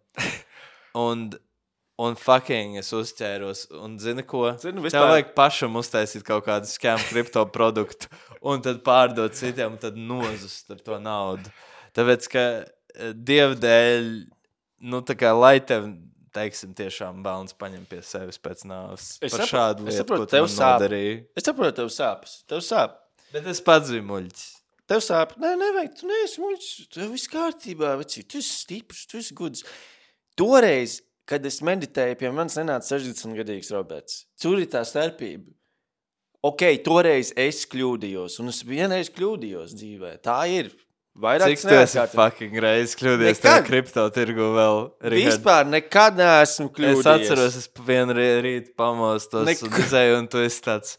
Un, un fucking es uzķēros, un zini ko? Zinu, Tev vispār- vajag pašam uztaisīt kaut kādu scam kripto produktu, un tad pārdot citiem, un tad nozust ar to naudu. Tāpēc, ka eh, Dieva dēļ, nu tā kā lai tev, teiksim, tiešām bērns paņem pie sevis pēc nāves. Es Par sapro- šādu es lietu, saprotu, ko tu tev man sāp. nodarīji. Es saprotu, tev sāpes. Tev sāp. Bet es pats biju muļķis. Tev sāp. Nē, nevajag. Tu neesi muļķis. Tev viss kārtībā, vecī. Tu esi stiprs, tu esi gudrs. Toreiz, kad es meditēju, pie manis nenāca sešdesmitgadīgs Roberts. Tur ir tā starpība. Ok, toreiz es kļūdījos, un es vienreiz kļūdījos dzīvē. Tā ir. Vairāk Cik tu esi fucking reiz kļūdies tajā Nekad. kripto tirgu vēl? Richard? Vispār nekad neesmu kļūdījies. Es atceros, es vienu rī- rītu pamostos Nek- un izēju, un tu esi tāds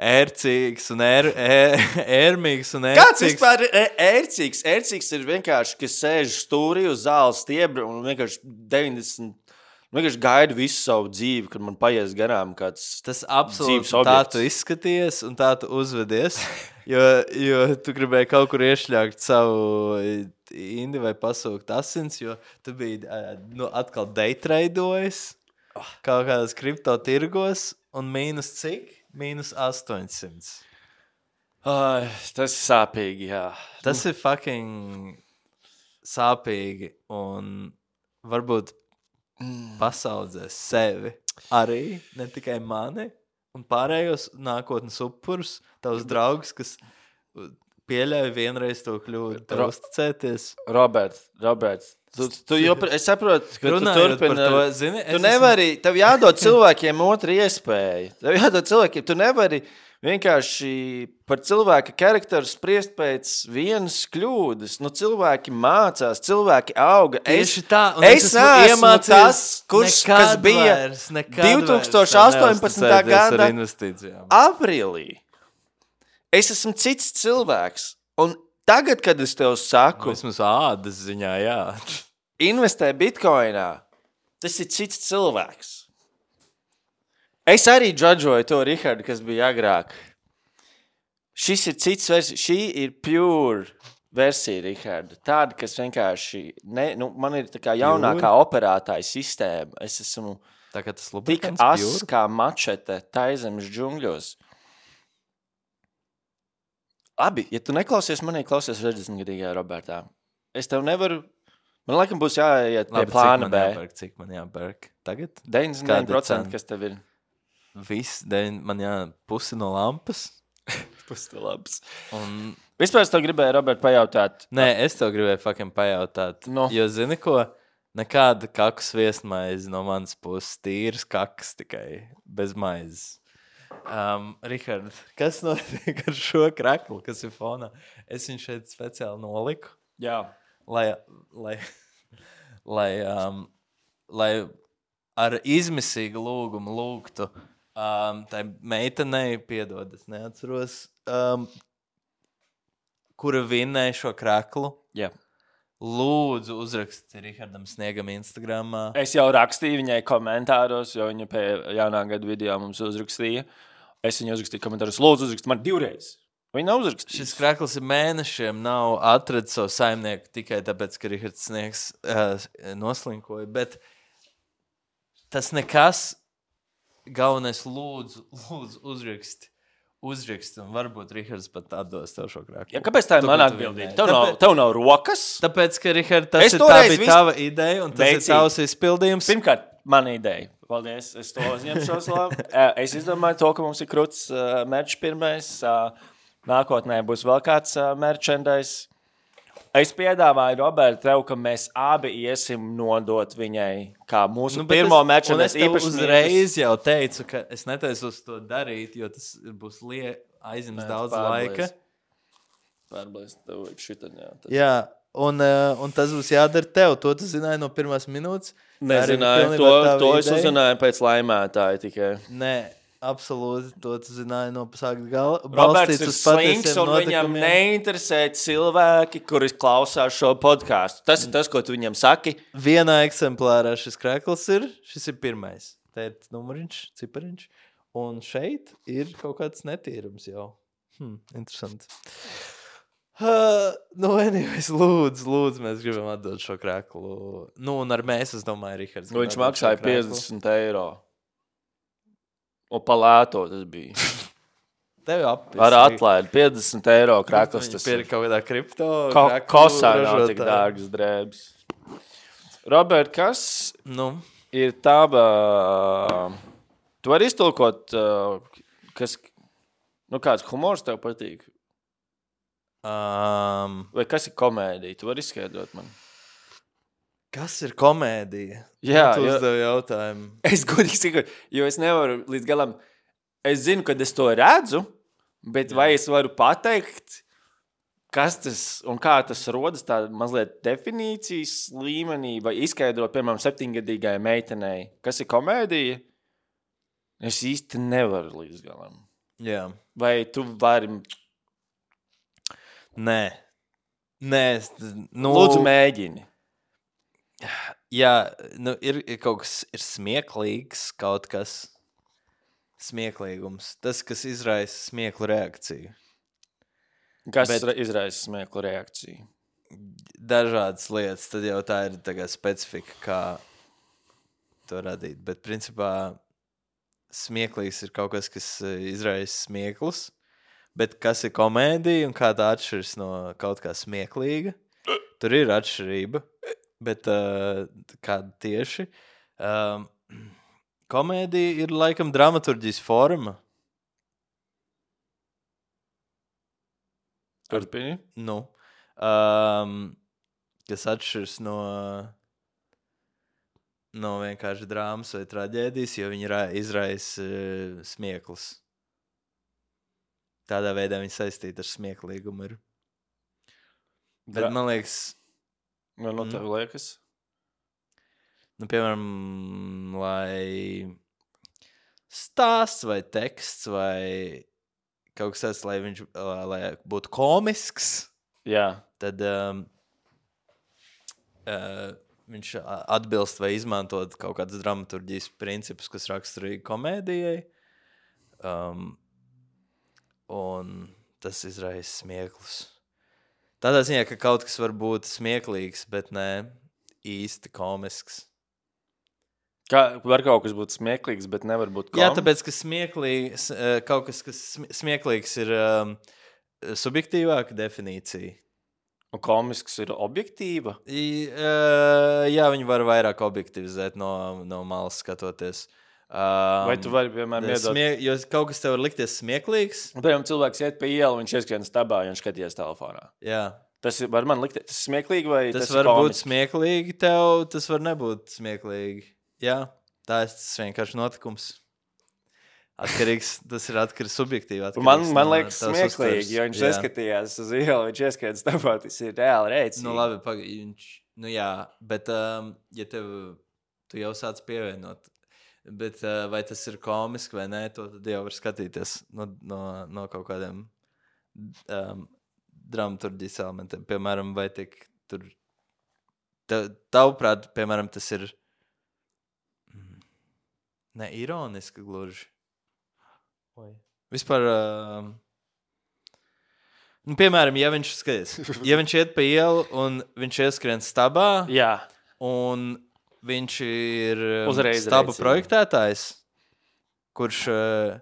ērcīgs un ēr, ēr, ērmīgs un ērcīgs. Kāds vispār ir ē- ērcīgs? Ērcīgs ir vienkārši, kas sēž stūrī uz zāles stiebra un vienkārši deviņdesmit. Vienkārši gaidu visu savu dzīvi, kad man paies garām kāds. Tas absolūti Dzīves tā objekts. tu izskaties un tā tu uzvedies, jo, jo tu gribēji kaut kur iešļākt savu indi vai pasūkt asins, jo tu biji ā, nu, atkal daytradojis kaut kādas kripto tirgos un mīnus cik? Mīnus astoņsimt. Ai, tas ir sāpīgi, jā. Tas ir fucking sāpīgi un varbūt pasaudzēs sevi arī, ne tikai mani un pārējos nākotnes upurus, tavus draugus, kas pieļauj vienreiz to kļūdu, tev Ro- uzticēties. Robert, Robert, tu, tu jopr... es saprotu, ka Runājot tu turpini. par to, zini, Tu es nevari, tev jādod cilvēkiem otru iespēju. Tev jādod cilvēkiem, tu nevari vienkārši par cilvēka charakteru spriest pēc vienas kļūdas. Nu, cilvēki mācās, cilvēki auga. Tieši tā, un es es esmu neesmu iemācījies tas, kurš, nekad kas bija vairs, nekad divi tūkstoši vairs astoņpadsmitā neuzticēties ar gada investīcijām. aprīlī. Es esmu cits cilvēks. Un tagad, kad es tev saku, Vismaz ādas ziņā, jā. investē bitkoinā, tas ir cits cilvēks. Es arī džadžoju to Rihardu, kas bija agrāk. Šis ir cits versija. Šī ir pure versija, Riharda. Tāda, kas vienkārši, ne, nu, man ir tā kā jaunākā operētāja sistēma. Es esmu Tā kā tas tik lubrikants as pjūr. kā mačete taizemes džungļos. Labi, ja tu neklausies manī, klausies sešdesmitgadīgajā Robertā. Es tev nevaru, man laikam būs jāiet pie Labi, plāna cik man B. jāpērk, cik man jāpērk? Tagad? deviņdesmit deviņi procenti, kas tev ir. Viss, deviņ, man jā, pusi no lampas. Pustelabs. Un, Vispār es tev gribēju, Robert, pajautāt. nē, es tev gribēju fucking pajautāt. No. Jo, zini ko? Nekāda kakas viesmaize no manas puses. Tīras kakas tikai, bez maizes. Um, Rihard, kas notiek ar šo kraklu, kas ir fonā? Es viņu šeit speciāli noliku, Jā. lai, lai, lai, um, lai ar izmisīgu lūgumu lūgtu um, tai meitenei, piedod, es neatceros, um, kura vinnēja šo kraklu. Jā. Lūdzu, uzraksti Rihardam Sniegam Instagramā. Es jau rakstīju viņai komentāros, jo viņa pie jaunā gada video mums uzrakstīja. Es viņai uzrakstīju komentāros, lūdzu, uzrakst man divreiz. Viņa nav uzrakstījusi. Šis krakls ir mēnešiem nav atradis savu saimnieku tikai tāpēc, ka Rihards Sniegs uh, noslinkoja, bet tas nekas, galvenais lūdzu, lūdzu uzraksti. Uzraksti, un varbūt Rihards pat atdos tev šo kraklu. Ja, kāpēc tā ir Tu, mana ka tu atbildība? vinnēji. Tev, nav, Tāpēc- tev nav rokas? Tāpēc, ka Rihard, tas Es ir tā toreiz bija vis- tava ideja, un tas Veicīgi. ir tavs izpildījums. Pirmkārt, mana ideja. Paldies, es to uzņemšos labi. Es izdomāju to, ka mums ir kruts uh, merch pirmais. Uh, nākotnē būs vēl kāds uh, merchandise. Es piedāvāju, Robert, tev, ka mēs abi iesim nodot viņai kā mūsu nu, pirmo es, un es merchandise tev īpaši uzreiz jau teicu, ka es netaisos to darīt, jo tas būs lie, aizims daudz laika. Pārblēst tev šitā, jā. Tas... Jā, un, uh, un tas būs jādara tev. To tu zināji no pirmās minūtes. Nezināju, to, to es uzzināju pēc laimētāja tikai. Nē, absolūti, to tu zināji no sākt gala. Roberts ir slinks, un viņam neinteresē cilvēki, kuri klausās šo podcastu. Tas ir tas, ko tu viņam saki. Vienā eksemplārā šis krēkls ir, šis ir pirmais. Te ir numuriņš, cipariņš. Un šeit ir kaut kāds netīrums jau. Hmm, interesanti. Uh, nu, anyways, lūdzu, lūdzu, mēs gribam atdot šo krēklu. Nu, un ar mēs, es domāju, Rihards. Viņš maksāja piecdesmit eiro. Un pa lēto tas bija. Tev apvis. Ar atlaidi piecdesmit eiro krēkls. Tas ir kaut kādā kripto. Ko, kosā nav tik dārgas drēbes. Robert, kas nu? ir tava... Tu vari iztulkot, kas... Nu, kāds humors tev patīk? Um, Vai kas ir komēdija? Tu vari izskaidrot man. Kas ir komēdija? Jā, tu jo, uzdevi jautājumu. Es godīgi saku, jo es nevaru līdz galam... Es zinu, kad es to redzu, bet Jā. vai es varu pateikt, kas tas un kā tas rodas tā mazliet definīcijas līmenī, vai izskaidrot, piemēram, septiņgadīgai meitenei, kas ir komēdija? Es īsti nevaru līdz galam. Jā. Vai tu vari... Nē. Nē. Nu... Lūdzu, mēģini. Jā, nu ir, ir kaut kas ir smieklīgs, kaut kas smieklīgums. Tas, kas izraisa smieklu reakciju. Kas Bet... izraisa smieklu reakciju? Dažādas lietas. Tad jau tā ir tā kā specifika, kā to radīt. Bet principā... Smieklīgs ir kaut kas, kas izraisa smieklus, bet kas ir komēdija un kā tā atšķiras no kaut kā smieklīga. Tur ir atšķirība, bet uh, kāda tieši. Um, komēdija ir laikam dramaturģijas forma. Turpini? Nu, um, kas atšķiras no... no vienkārši drāmas vai traģēdijas, jo viņi izraisa uh, smieklus. Tādā veidā viņi saistīti ar smieklīgumu ir. Bet Dra... man liekas... Man no tev liekas? Nu, piemēram, lai stāsts vai teksts vai kaut kas tāds, lai viņš lai būtu komisks, Jā. tad... Um, uh, viņš atbilst vai izmantot kaut kādas dramaturģijas principus, kas raksturīgi komēdijai. Um, un tas izraisa smieklus. Tādā ziņā, ka kaut kas var būt smieklīgs, bet ne īsti komisks. Kā, var kaut kas būt smieklīgs, bet nevar būt komisks? Jā, tāpēc, ka smieklīgs, kaut kas, kas smieklīgs ir um, subjektīvāka definīcija. Un komisks ir objektīva? I, uh, jā, viņi var vairāk objektivizēt no, no malas skatoties. Um, Vai tu vari, piemēram, iedot... Smie... Jo kaut kas tev var likties smieklīgs. Piemēram, cilvēks iet pa ielu, viņš ieskrien stabā, un viņš skaties telefonā. Jā. Tas ir, var man likties, tas ir smieklīgi vai tas, tas ir var komiski? būt smieklīgi tev, tas var nebūt smieklīgi. Jā, tā ir tas vienkārši notikums. Atkarīgs, tas ir atkarīgs subjektīvi. Atkarīgs man, man no liekas smieklīgi, jo viņš neskatījās uz ielu, viņš ieskrien stabā, tas ir reāli rēcīgi. Nu labi, pag... viņš, nu jā, bet um, ja tev, tu jau sāc pievienot, bet uh, vai tas ir komiski vai nē, to tad jau var skatīties no, no, no kaut kādiem um, dramaturģijas elementiem. Piemēram, vai tik tur, tavuprāt, piemēram, tas ir ne ironiski gluži. Oi. Vispār, uh, nu, piemēram, ja viņš, skaties, ja viņš iet pa ielu un viņš ieskrien stabā, Jā. un viņš ir um, Uzreiz stabu rēcīgi. projektētājs, kurš, uh,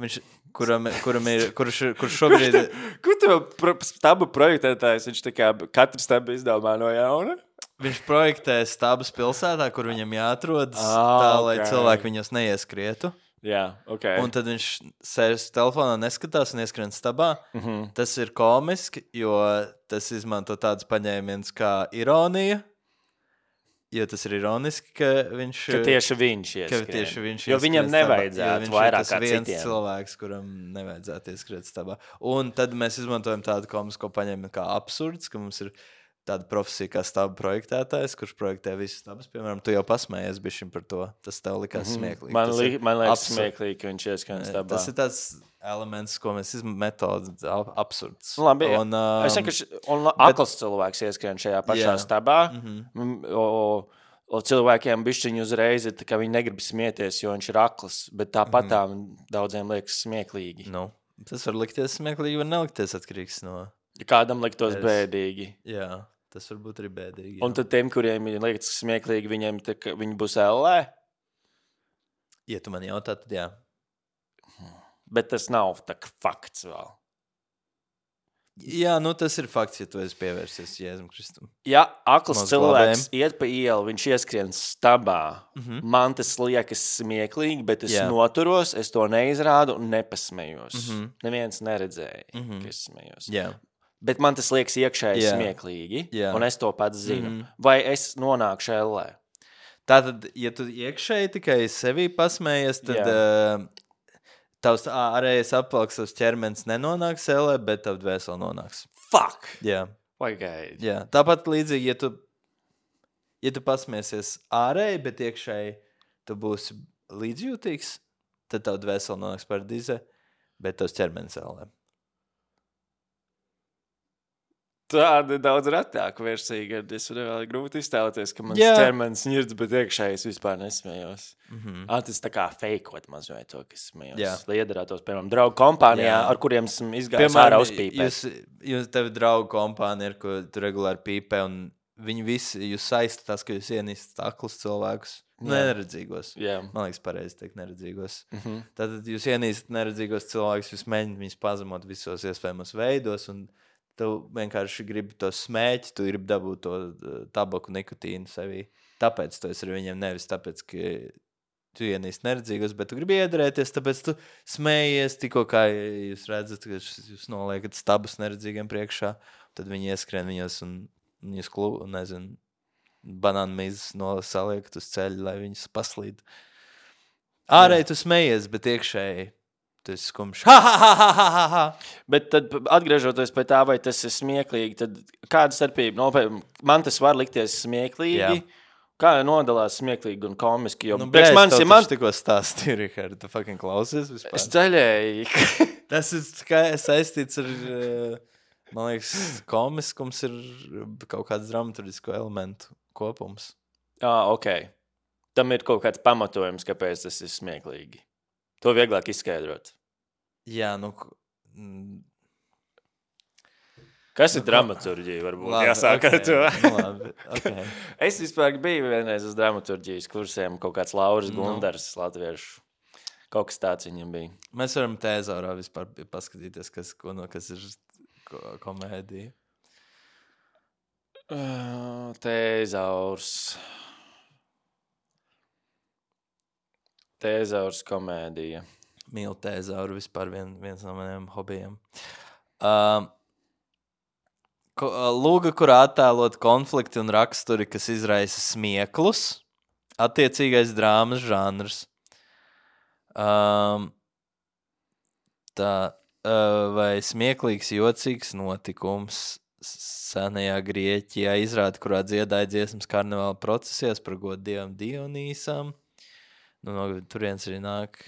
viņš, kuram, kuram ir, kurš, kurš šobrīd... Kur tev pro, stabu projektētājs, viņš tā kā katru stabu izdomā no jauna? Viņš projektē stabus pilsētā, kur viņam jāatrodas, Ah, tā, lai ok. cilvēki viņos neieskrietu. Jā, ok. Un tad viņš sēž telefonā, neskatās un ieskrien stabā. Mhm. Tas ir komiski, jo tas izmanto tādus paņēmienus kā ironija. Jo tas ir ironiski, ka viņš... Ka tieši viņš ka ieskrien. tieši viņš Jo viņam ieskrien stabā, nevajadzētu jo viņš vairāk ir tas kā viens citiem. cilvēks, kuram nevajadzētu ieskriet stabā. Un tad mēs izmantojam tādu komisko paņēmienu kā absurds, ka mums ir tāda profesija kā staba projektētājs, kurš projektē visus stabus, piemēram, tu jau pasmējies bišķiņ par to. Tas tev likās mm-hmm. smieklīgi. Man, li, man liekas absurd. smieklīgi, ka viņš ieskrien stabā. Tas ir tāds elements, ko mēs izmantojam, metodas absurds. Labi, un, um, es vienkārši, un akls bet, cilvēks ieskrien šajā pašā jā. stabā, mm-hmm. o, o cilvēkiem bišķiņi uzreiz ir, ka viņi negrib smieties, jo viņš ir akls, bet tāpat tā mm-hmm. daudziem liekas smieklīgi. Nu, tas var likties smieklīgi, var nelikties atkarīgs no... Kādam liktos es... bēdīgi. Jā. Tas var būt arī bēdīgi. Un tad tiem, kuriem ir liekas smieklīgi, viņiem tā, viņi būs ellē? Ja tu man jautā, tad jā. Bet tas nav tā kā fakts vēl. Jā, nu tas ir fakts, ja tu esi pievērsies Jēzum Kristum. Ja akls Maz cilvēks glabējam. Iet pa ielu, viņš ieskrien stabā, mm-hmm. man tas liekas smieklīgi, bet es jā. noturos, es to neizrādu un nepasmejos. Mm-hmm. Neviens neredzēja, mm-hmm. ka es smejos. Jā. Bet man tas liekas iekšēji yeah. smieklīgi, yeah. un es to pats zinu. Mm. Vai es nonākšu ellē? Tātad, ja tu iekšēji tikai sevī pasmējies, tad yeah. uh, tavs ārējais apvalks, tavs ķermenis nenonāks ellē, bet tavu dvēseli nonāks. Fuck! Jā. Pagaid. Jā. Tāpat līdzīgi, ja tu, ja tu pasmēsies ārēji, bet iekšēji tu būsi līdzjūtīgs, tad tavu dvēseli nonāks paradīzē, bet tavs ķermenis ellē. Tāda ir daudz retāka versija, kad es vēl grūti iztēloties, ka mans yeah. ķermenis ņirds, bet iekšējais vispār nesmējos. Mm-hmm. Ah, tas tā kā feikot mazliet to, ka es smējos. Yeah. Liedarātos, piemēram, draugu kompānijā, yeah. ar kuriem esmu izgājis ārā uzpīpēt. Jūs, jūs tevi draugu kompānija, ar ko tu regulāri pīpē, un viņi visi, jūs saistat tas, ka jūs ienīstat aklus cilvēkus, yeah. neredzīgos. Yeah. Man liekas pareizi teikt neredzīgos. Mm-hmm. Tātad jūs ienīstat neredzīgos cilvēkus, jūs mēģināt viņus pazemot visos iespējamos veidos, un tu vienkārši gribi to smēķi, tu gribi dabūt to tabaku nikotīnu sevī. Tāpēc tu esi ar viņiem nevis tāpēc, ka tu ienīsti neredzīgos, bet tu gribi iedarēties, tāpēc tu smējies tikko, kā jūs redzat, ka jūs noliekat stabus neredzīgiem priekšā, tad viņi ieskrien viņos un viņus klubu, nezinu, banānu mizas nosaliekat uz ceļu, lai viņus paslīd. Ārēji tu smējies, bet iekšēji tas ir skumjš. Ha, ha, ha, ha, ha, ha. Bet tad, atgriežoties pie tā, vai tas ir smieklīgi, tad kāda starpība? No, man tas var likties smieklīgi. Jā. Kā nodalās smieklīgi un komiski? Jo nu, priekš manis ir man... tikko stāstīju, Rihard, tu fucking klausies vispār? Es ceļēju. Tas ir kā saistīts ar, man liekas, komiskums ir kaut kāds dramaturgisko elementu kopums. Ah, ok. Tam ir kaut kāds pamatojums, kāpēc tas ir smieklīgi. To vieglāk izskaidrot. Jā, nu... Kas ir nu, dramaturģija, varbūt labi, jāsāk ar okay, to? Labi, okay. Es vispār biju vienreiz uz dramaturģijas kursiem, kaut kāds Lauris no. Gundars, latviešu. Kaut kas tāds viņam bija. Mēs varam tēzaurā vispār paskatīties, kas, ko, no, kas ir ko, komēdija. Uh, tēzaurs... Tēzaurs komēdija. Mīlu tēzauru vispār vien, viens no maniem hobijiem. Uh, ko, lūga, kurā attēlot konflikti un raksturi, kas izraisa smieklus, attiecīgais drāmas žanrs. Um, tā, uh, vai smieklīgs, jocīgs notikums senajā Grieķijā izrāda, kurā dziedāja dziesmas karnevāla procesijās par godu dievam Dionīsam. Nu, no turienes arī nāk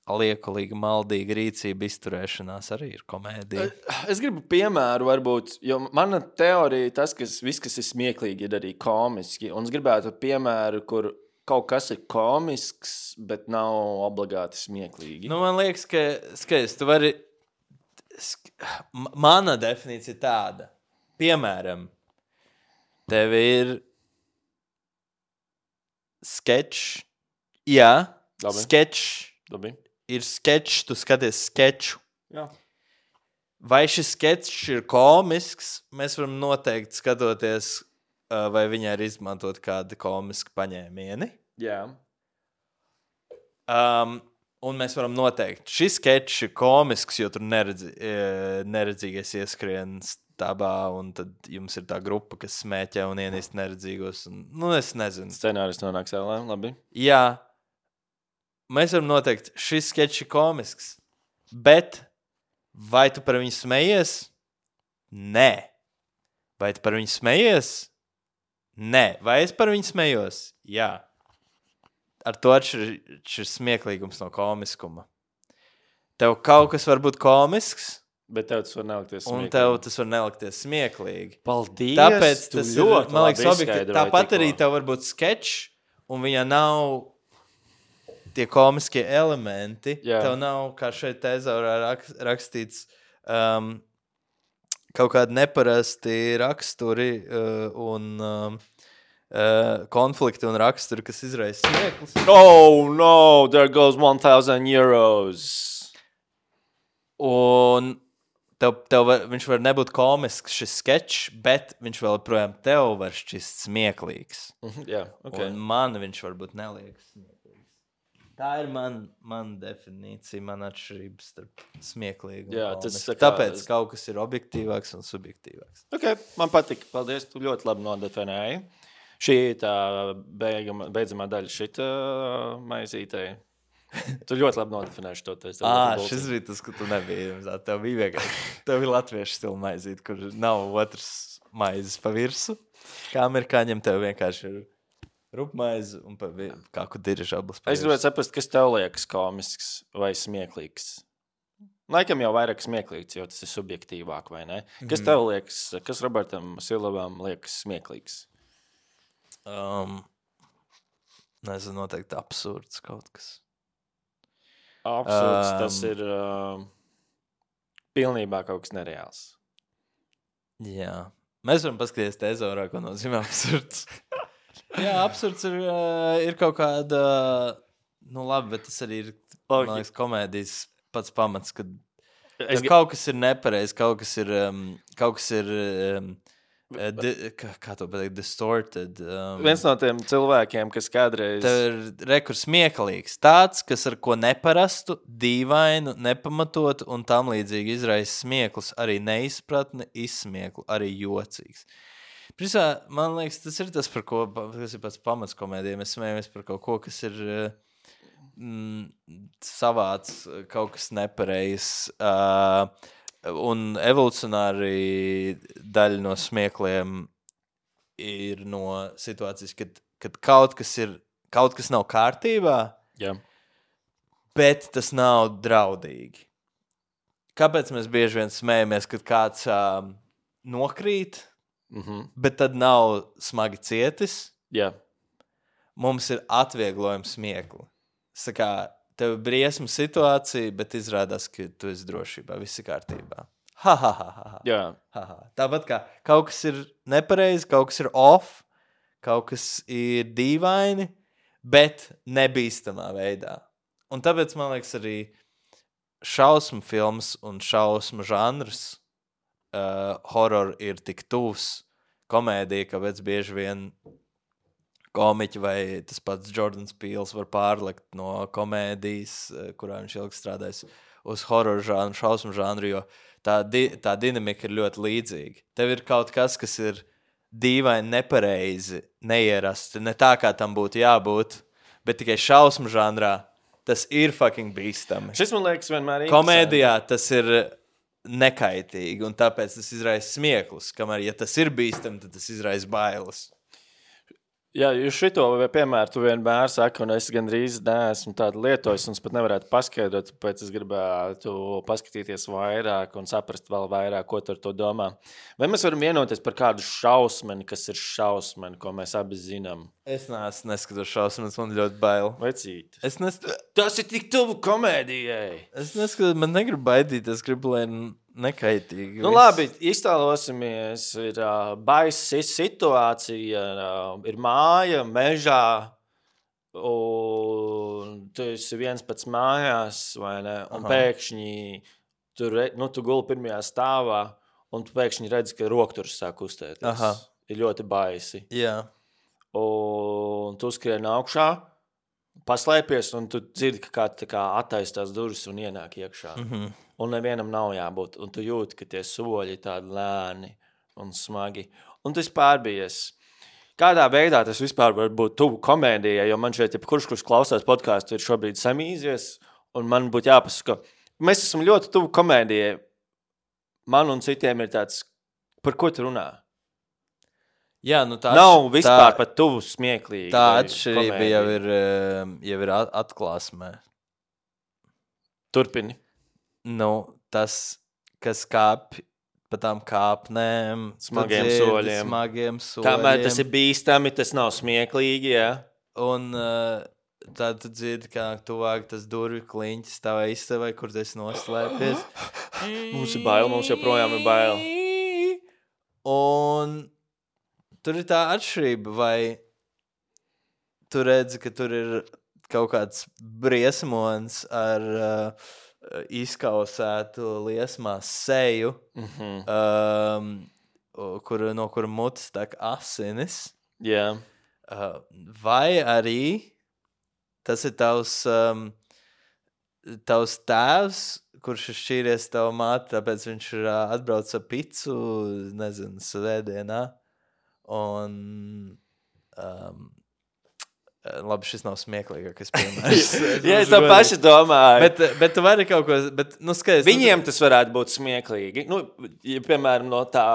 liekulīga, maldīga rīcība, izturēšanās arī ir komēdija. Es gribu piemēru varbūt, jo mana teorija tas, ka viss, kas ir smieklīgi, ir arī komiski. Un es gribētu piemēru, kur kaut kas ir komisks, bet nav obligāti smieklīgi. Nu, man liekas, ka, skaidrs, tu vari... Mana definīcija ir tāda. Piemēram, tev ir sketch... Jā, Labi. sketch. Labi. Ir sketch, tu skaties sketchu. Jā. Vai šis sketch ir komisks, mēs varam noteikti skatoties, vai viņā ir izmantot kādi komiski paņēmieni. Jā. Um, un mēs varam noteikt, šis sketch ir komisks, jo tur neredzi, neredzīgais ieskrien stabā, un tad jums ir tā grupa, kas smēķē un ienīst neredzīgos. Un, nu, es nezinu. Scenāris nonāks ēlē, labi. Jā. Mēs varam noteikt, šis sketch ir komisks, bet vai tu par viņu smejies? Nē. Vai tu par viņu smejies? Nē. Vai es par viņu smejos? Jā. Ar to atšķiras smieklīgums no komiskuma. Tev kaut kas var būt komisks, bet tev tas var nelikties smieklīgi. Un tev tas var nelikties smieklīgi. Paldies! Tāpēc tas ir, ļoti man liekas, labi objektīvi. izskaidroji Tāpat tikko. arī tev var būt sketčs, un viņā nav tie komiskie elementi. Jā. Tev nav, kā šeit tezaurā rak- rakstīts, um, kaut kādi neparasti raksturi uh, un um, uh, konflikti un raksturi, kas izraisa smieklus. Oh, no! There goes one thousand euros. Un tev, tev var, viņš var nebūt komisks, šis sketčs, bet viņš vēl projām tev var šķist smieklīgs. Jā, ok. Un man viņš varbūt neliekas smieklīgs. Tā ir man, man definīcija, man atšķirības starp smieklīgu un Jā, komisku. tas tā kā- Tāpēc kaut kas ir objektīvāks un subjektīvāks. Ok, man patika. Paldies, tu ļoti labi nodefinēji. Šī ir tā beigama, beidzamā daļa šita uh, maizītei. Tu ļoti labi nodefinēji šo te. Ā, šis bija tas, ka tu nebija. Zāt, tev bija vienkārši, tev bija latviešu stila maizīt, kur nav otrs maizes pa virsu. Kā amerikāņiem tev vienkārši ir rupmaize un pa vi- kāku dirižablas pa Es virsu. gribētu saprast, kas tev liekas komisks vai smieklīgs. Laikam jau vairāk smieklīgs, jo tas ir subjektīvāk, vai ne? Kas tev liekas, kas Robertam Silvam liekas smieklīgs? Um, nezinu, noteikti absurds kaut kas. Absurds, Um, tas ir uh, pilnībā kaut kas nereāls. Jā. Mēs varam paskatīties tezorā, ko nozīmē absurds. Jā, absurds ir, uh, ir kaut kāda, nu labi, bet tas arī ir, Ok. man liekas, komēdijas pats pamats, kad Es, ja kaut kas ir nepareizi, kaut kas ir, um, kaut kas ir, um, uh, di, kā, kā to pateikt, distorted. Um, viens no tiem cilvēkiem, kas kādreiz... Tev ir rekurs smieklīgs. Tāds, kas ar ko neparastu, dīvainu, nepamatotu un tam līdzīgi izraisa smieklus, arī neizpratni, izsmieklu, arī jocīgs. Prisā, man liekas, tas ir tas, par ko, kas ir pats pamats komēdijai. Mēs smējamies par kaut ko, kas ir mm, savāds, kaut kas nepareizs. Uh, un evolucionāri daļa no smiekliem ir no situācijas, kad, kad kaut kas ir, kaut kas nav kārtībā, Jā. bet tas nav draudīgi. Kāpēc mēs bieži vien smējamies, kad kāds uh, nokrīt, Mhm. bet tad nav smagi cietis? Jā. Mums ir atvieglojums smiekli. Sakā, tev ir briesma situācija, bet izrādās, ka tu esi drošībā, viss ir kārtībā. Ha, ha, ha, ha, ha. Jā. Ha, ha. Tāpat kā kaut kas ir nepareizi, kaut kas ir off, kaut kas ir dīvaini, bet nebīstamā veidā. Un tāpēc, man liekas, arī šausmu filmas un šausmu žanrs uh, horror ir tik tuvs komēdija, kāpēc bieži vien komiķi vai tas pats Jordans Peels var pārlikt no komēdijas, uh, kurā viņš ilgi strādājis, uz horror žanru, šausmu žanru, jo tā, di tā dinamika ir ļoti līdzīga. Tev ir kaut kas, kas ir dīvaini, nepareizi, neierasti, ne tā, kā tam būtu jābūt, bet tikai šausmu žanrā tas ir fucking bīstami. Šis man liekas vienmēr ir Komēdijā tas ir nekaitīgi, un tāpēc tas izraisa smieklus. Kamēr, ja tas ir bīstami, tad tas izraisa bailes. Jā, jūs šito piemēru tu vienmēr saki, un es gandrīz neesmu tādu lietojis, un es pat nevarētu paskaidrot, tāpēc es gribētu paskatīties vairāk un saprast vēl vairāk, ko tu ar to domā. Vai mēs varam vienoties par kādu šausmeni, kas ir šausmeni, ko mēs abi zinām? Es neesmu neskatos šausmas, man ļoti bail. Vecīt. Es, nes... Tas ir tik tuvu komēdijai. es neskatos, man negribu baidīt, es gribu, lai nekaitīgi. Nu, viss. labi, iztēlosimies, ir uh, baisa situācija, uh, ir māja, mežā, un tu esi viens pats mājās, vai ne? Un Aha. pēkšņi tu, re, nu, tu guli pirmajā stāvā, un tu pēkšņi redzi, ka rokturs sāk kustēties. Aha. Ir ļoti baisi. Jā. Un tu skrien augšā, paslēpies, un tu dzirdi, ka kāds tā kā attaistās durvis un ienāk iekšā. Mhm. Un nevienam nav jābūt. Un tu jūti, ka tie soļi ir tādi lēni un smagi. Un tas pārbies. Kādā veidā tas vispār var būt tuvu komēdijai, jo man šeit, ja kurš, kurš klausās podkāstu, ir šobrīd samīzies, un man būtu jāpasaka, mēs esam ļoti tuvu komēdijai. Man un citiem ir tāds, par ko tu runā? Jā, nu tā Nav atš- vispār tā- pat tuvu smieklīgi. Tā vai atšķirība komēdija. jau ir, um, jau ir at- atklāsmē. Turpini. Nu, tas, kas kāp pa tām kāpnēm, tu Smagiem dzirdi soļiem. Smagiem soļiem. Kamēr tas ir bīstami, tas nav smieklīgi, jā. Un uh, tad tu dzirdi, kā tuvāk tas durvju kliņķis tavā istabā, kur tu esi noslēpies. Mums ir bail, mums joprojām ir bail. Un tur ir tā atšķirība, vai tu redzi, ka tur ir kaut kāds briesmons ar uh, izkausētu liesmās seju, Mhm. um, kur, no kura mutes tek asinis, Jā. uh, vai arī tas ir tavs, um, tavs tēvs, kurš ir šķīries tavu māti, tāpēc viņš ir uh, atbraucis ar picu, nezinu, svētdienā. Un, um, labi, šis nav smieklīgākais piemērs. Jā, es tā paši domāju. Bet, bet tu vari kaut ko, bet, nu, skaties. Viņiem tas varētu būt smieklīgi. Nu, ja, piemēram, no tā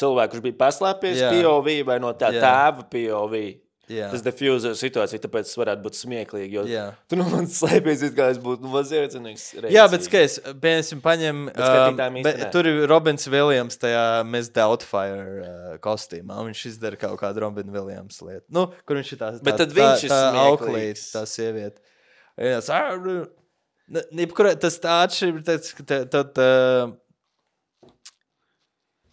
cilvēka, kurš bija paslēpies Jā. P O V vai no tā Jā. tēva P O V. Jā. Tas diffuser situācija, tāpēc tas varētu būt smieklīgi. Jo Jā. tu no manis slēpies, it kā es būtu nu, maziecinīgs. Jā, bet skaties, piemēram, paņem. Bet skatītājiem um, īsti bet nē. tur ir Robins Viljams tajā Miss Doubtfire uh, kostīmā. Viņš izdara kaut kādu Robina Viljams lietu. Nu, kur viņš ir tā, tā, Bet tad viņš ir tā, tā smieklīgs. auklīte, tā sieviete. Jā, tas, ne, jebkurā- tas tā atšķirība, tāds, ka te- tad uh,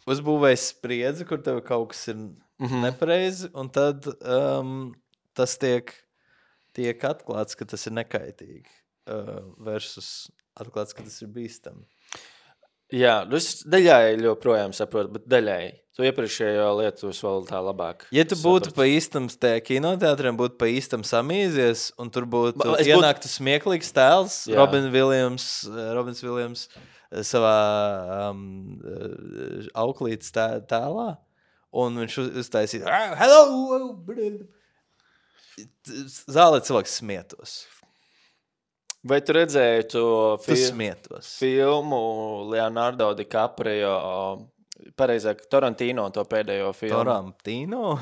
uzbūvējas spriedzi, kur tev kaut kas ir Mhm. nepareizi, un tad um, tas tiek, tiek atklāts, ka tas ir nekaitīgi. Uh, versus atklāts, ka tas ir bīstami. Jā, nu es daļai joprojām saprotu, bet daļai. Tu iepriekšējo lietu es vēl tā labāk. Ja tu būtu sapratu. pa īstam tajā kinoteātriem, būtu pa īstam samīzies, un tur būtu Ma- es būtu- ienāktu smieklīgs tēls, Jā. Robin Viljams, eh, Robins Viljams eh, savā um, eh, auklītes tē, tēlā, un viņš uz- uztaisīja "Ah, hello! Zālē cilvēks smietos. Vai tu redzēji to Tu fi smietos. filmu Leonardo DiCaprio, pareizāk, Tarantino to pēdējo filmu? Tarantino?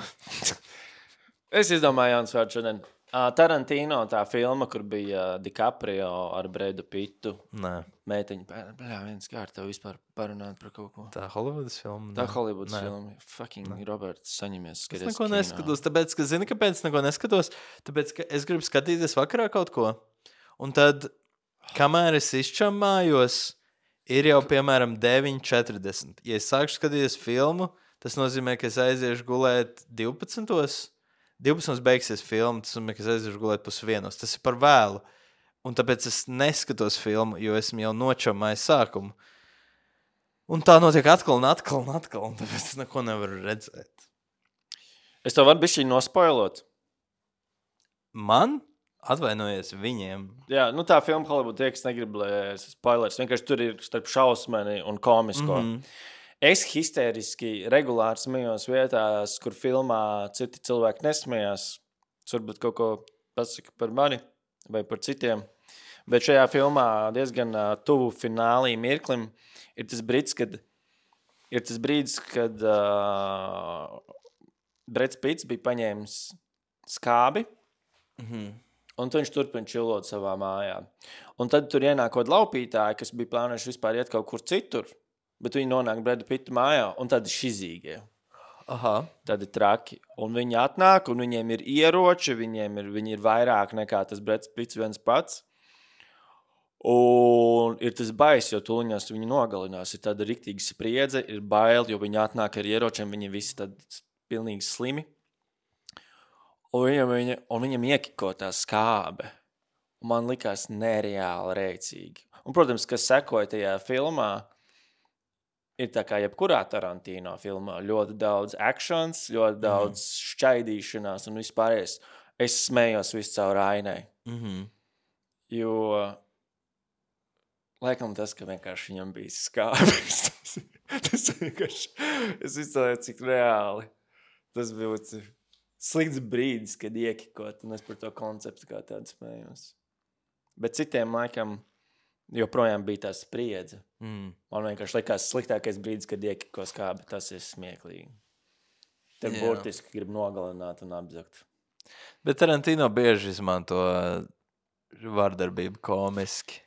Es izdomāju jauns vārds šodien. Uh, Tarantino tā filma, kur bija DiCaprio ar Bredu Pittu. Nē, Mētiņa, bļā, viens kārt tev vispār parunāt par kaut ko. tā Hollywoodas filma. Tā nē. Hollywoods Nē. filma. Fucking Roberts, saņemies Es skaties neko kino. neskatos, tāpēc, ka zini, kāpēc es neko neskatos? Tāpēc, ka es gribu skatīties vakarā kaut ko. Un tad, kamēr es izčamājos, ir jau, piemēram, deviņi četrdesmit. Ja es sākšu skatīties filmu, tas nozīmē, ka es aiziešu gulēt divpadsmitos. divpadsmitos beigsies filma, tas nozīmē, ka es aiziešu gulēt pusvienos. Tas ir par vēlu. Un tāpēc es neskatos filmu, jo esmu jau nočamājis sākumu. Un tā notiek atkal un atkal un atkal, un tāpēc es neko nevaru redzēt. Es tev varu bišķiņ nospoilot. Man? Atvainojies viņiem. Jā, nu tā filma Hollywood tie, kas negrib, lai es spoilers. Vienkārši tur ir starp šausmeni un komisko. Mhm. Es histēriski regulāri smējos vietās, kur filmā citi cilvēki nesmējās. Tas varbūt kaut ko pasaka par mani vai par citiem. Bet šajā filmā diezgan uh, tuvu finālī mirklim ir tas brīdis, kad, ir tas brīdis, kad uh, Breds Pitts bija paņēmis skābi. Mhm. Un tad viņš turpina čilot savā mājā. Un tad tur ienāk kaut laupītāji, kas bija plānojuši vispār iet kaut kur citur. Bet viņi nonāk Breda Pitta mājā, un tad ir šizīgie. Aha. Tad ir traki. Un viņi atnāk, un viņiem ir ieroči, viņiem ir, viņi ir vairāk nekā tas Breds Pitts viens pats. Un ir tas bais, jo tuliņās viņi nogalinās. Ir tāda riktīga spriedze, ir bail, jo viņi atnāk ar ieročiem, viņi visi tad pilnīgi slimi. Un viņam, viņa, un viņam iekiko tā skābe. Un man likās nereāli rēcīgi. Un, protams, kas sekoja tajā filmā, ir tā kā jebkurā Tarantino filmā. Ļoti daudz actions, ļoti daudz mm. šķaidīšanās un vispārējais. Es smējos visu caur ainai. Mhm. Jo, laikam tas, ka vienkārši viņam bija skābes. tas vienkārši, es izcēlēju, cik reāli. Tas bija slikts brīdis, kad iekikot, un es par to konceptu kā tādu smējos. Bet citiem laikam joprojām bija tā spriedze. Mm. Man vienkārši likās sliktākais brīdis, kad iekiko skābi, tas ir smieklīgi. Tev Jā. burtiski grib nogalināt un apzakt. Bet Tarantino bieži izmanto vardarbību komiski.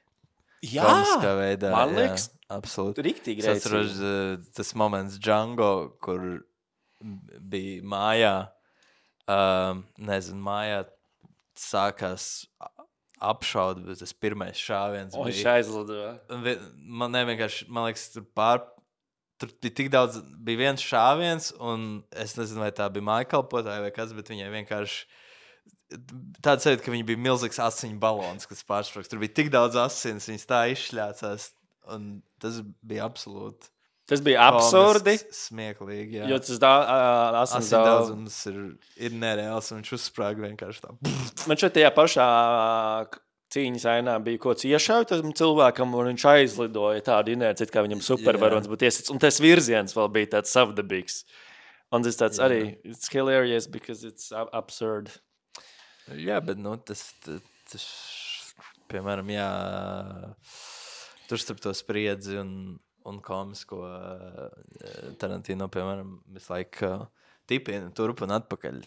Jā, Komiskā veidā. man liekas, jā, absolūti. riktīgi Es atceros rēcīgi. uh, tas moments Django, kur bija mājā, uh, nezinu, mājā sākās apšaud, bet tas pirmais šāviens Un viņš bija. aizlidoja. Vi- Man nevienkārši, man liekas, tur pār, tur bija tik daudz, bija viens šāviens, un es nezinu, vai tā bija mājkalpotāja vai kas, bet viņai vienkārši tāds sajūta, ka viņa bija milzīgs asiņu balons, kas pārsprāgs. Tur bija tik daudz asins, viņas tā izšļācās, un tas bija absolūti Tas bija absurdi, komisks, smieklīgi, jā. jo tas da, uh, asins Asins daudz. daudzums ir, ir nereāls, un viņš uzsprāga vienkārši tā. Man šeit tajā pašā cīņas ainā bija kaut kas iešauj tam cilvēkam, un viņš aizlidoja tādu inerci, it kā viņam supervaronis būtu iesits. Un tas virziens vēl bija tāds savdabīgs. Un tas tāds Jā. arī, it's hilarious because it's a- absurd. Jā, bet, nu, tas, tas, tas piemēram, jā, tur starp to spriedzi un, un komisko uh, Tarantino, piemēram, visu laiku uh, tipina turp un atpakaļ.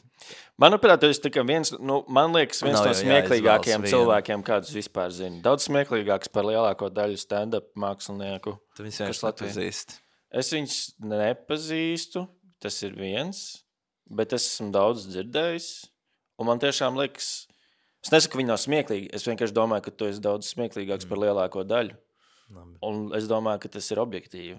Manuprāt, tas ir tikai viens, nu, man liekas, viens Nav no jau smieklīgākajiem jāizvēlas cilvēkiem, kādus vispār zinu. Daudz smieklīgāks par lielāko daļu stand-up mākslinieku. Tu viņus Kas vienkārši Latvijā? nepazīst. Es viņus nepazīstu, tas ir viens, bet es esmu daudz dzirdējis. Un man tiešām liekas, es nesaku, ka viņi nav smieklīgi. Es vienkārši domāju, ka tu esi daudz smieklīgāks par lielāko daļu. Labi. Un es domāju, ka tas ir objektīvi.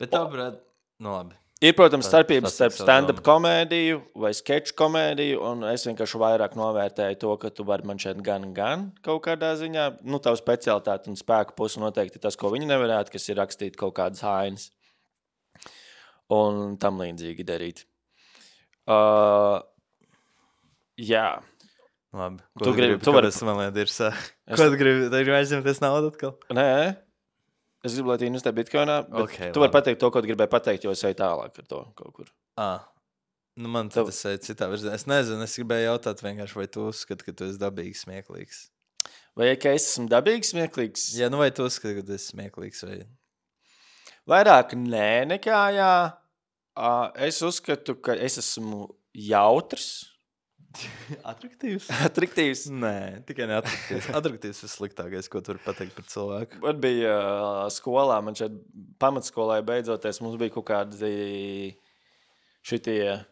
Bet tā, brāt, nu labi. Ir, protams, Tas- starpības tas ir starp savu stand-up domu. komēdiju vai sketču komēdiju, un es vienkārši vairāk novērtēju to, ka tu vari man šeit gan, gan kaut kādā ziņā. Nu, tavu specialitāti un spēku pusi noteikti tas, ko viņi nevarētu, kas ir rakstīt kaut kādas hainas un tam līdzīgi darīt. Uh, jā. Labi. Tu Ko gribi- gribi, tu vari- kādas man lietas ir sā? Es- Ko tu gribi? Tu gribi aizņemties naudu atkal? Nē, es gribu, lai tu investē bitcoinā, bet Ok, tu vari labi. pateikt to, ko tu gribēji pateikt, jo es eju tālāk ar to kaut kur. Ā. Nu, man Tev- tas ir citā virzienā. Es nezinu, es gribēju jautāt vienkārši, vai tu uzskati, ka tu esi dabīgi smieklīgs. Vai ka es esmu dabīgs, smieklīgs? Jā, nu vai tu uzskati, ka tu esi smieklīgs vai... Vairāk nē, nekā jā. Uh, es uzskatu, ka es esmu jautrs, Atraktīvs? atraktīvs. Nē, tikai neatraktīvs. Atraktīvs ir sliktākais, ko tu vari pateikt par cilvēku. Man bija uh, skolā, man šeit pamatskolā beidzoties, mums bija kaut kādi šitie.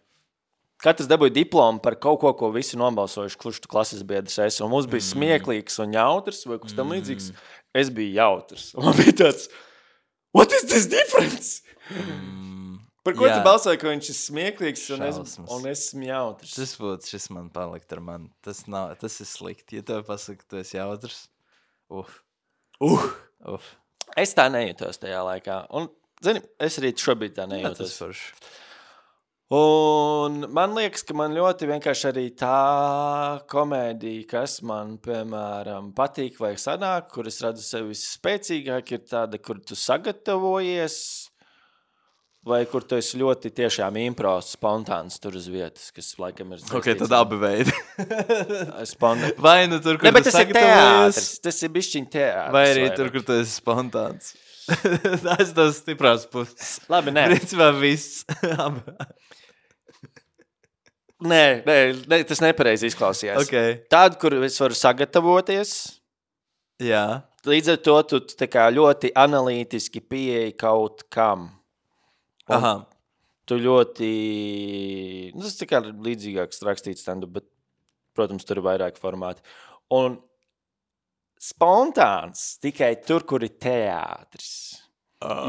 Katrs dabūja diplomu par kaut ko, ko visi nobalsojuši, kurš tu klases biedrs esi. Un mums bija Mm. smieklīgs un jautrs, vai kas tam Mm. līdzīgs. Es biju jautrs. Un man bija tāds, what is this difference? Mm, Par ko jā, tu balsoji, ka viņš ir smieklīgs un es, Šausmas. un es esmu jautrs? Šis būtu, šis man palikt ar mani. Tas, nav, tas ir slikti. Ja tev pasaka, ka tu esi jautrs, uf, Uh, uf. es tā nejūtos tajā laikā. Un, zini, es arī šobrīd tā Jā, tas nejūtos. forši. Un man liekas, ka man ļoti vienkārši arī tā komēdija, kas man, piemēram, patīk vai sanāk, kur es redzu sevi spēcīgāk, ir tāda, kur tu sagatavojies, vai kur tu esi ļoti tiešām impros, spontāns tur uz vietas, kas laikam ir... Ok, tad abi veidi. Spontāns. Vai nu tur, kur Ne, bet tu tas ir sagatavojies, teātris. Tas ir bišķiņ teātris. vai arī vairāk. tur, kur tu esi spontāns. Tas ir tas stiprās puses. Labi, nē. Principā viss. Abi. Nē, nē, nē, tas nepareizi izklausījās. Ok. Tādu, kur es varu sagatavoties, Jā. līdz ar to tu tā kā ļoti analītiski pieeji kaut kam. Un Aha. Tu ļoti, nu, tas tā kā līdzīgāks rakstīts stand-up, bet, protams, tur ir vairāk formāti. Un spontāns tikai tur, kur ir teātris.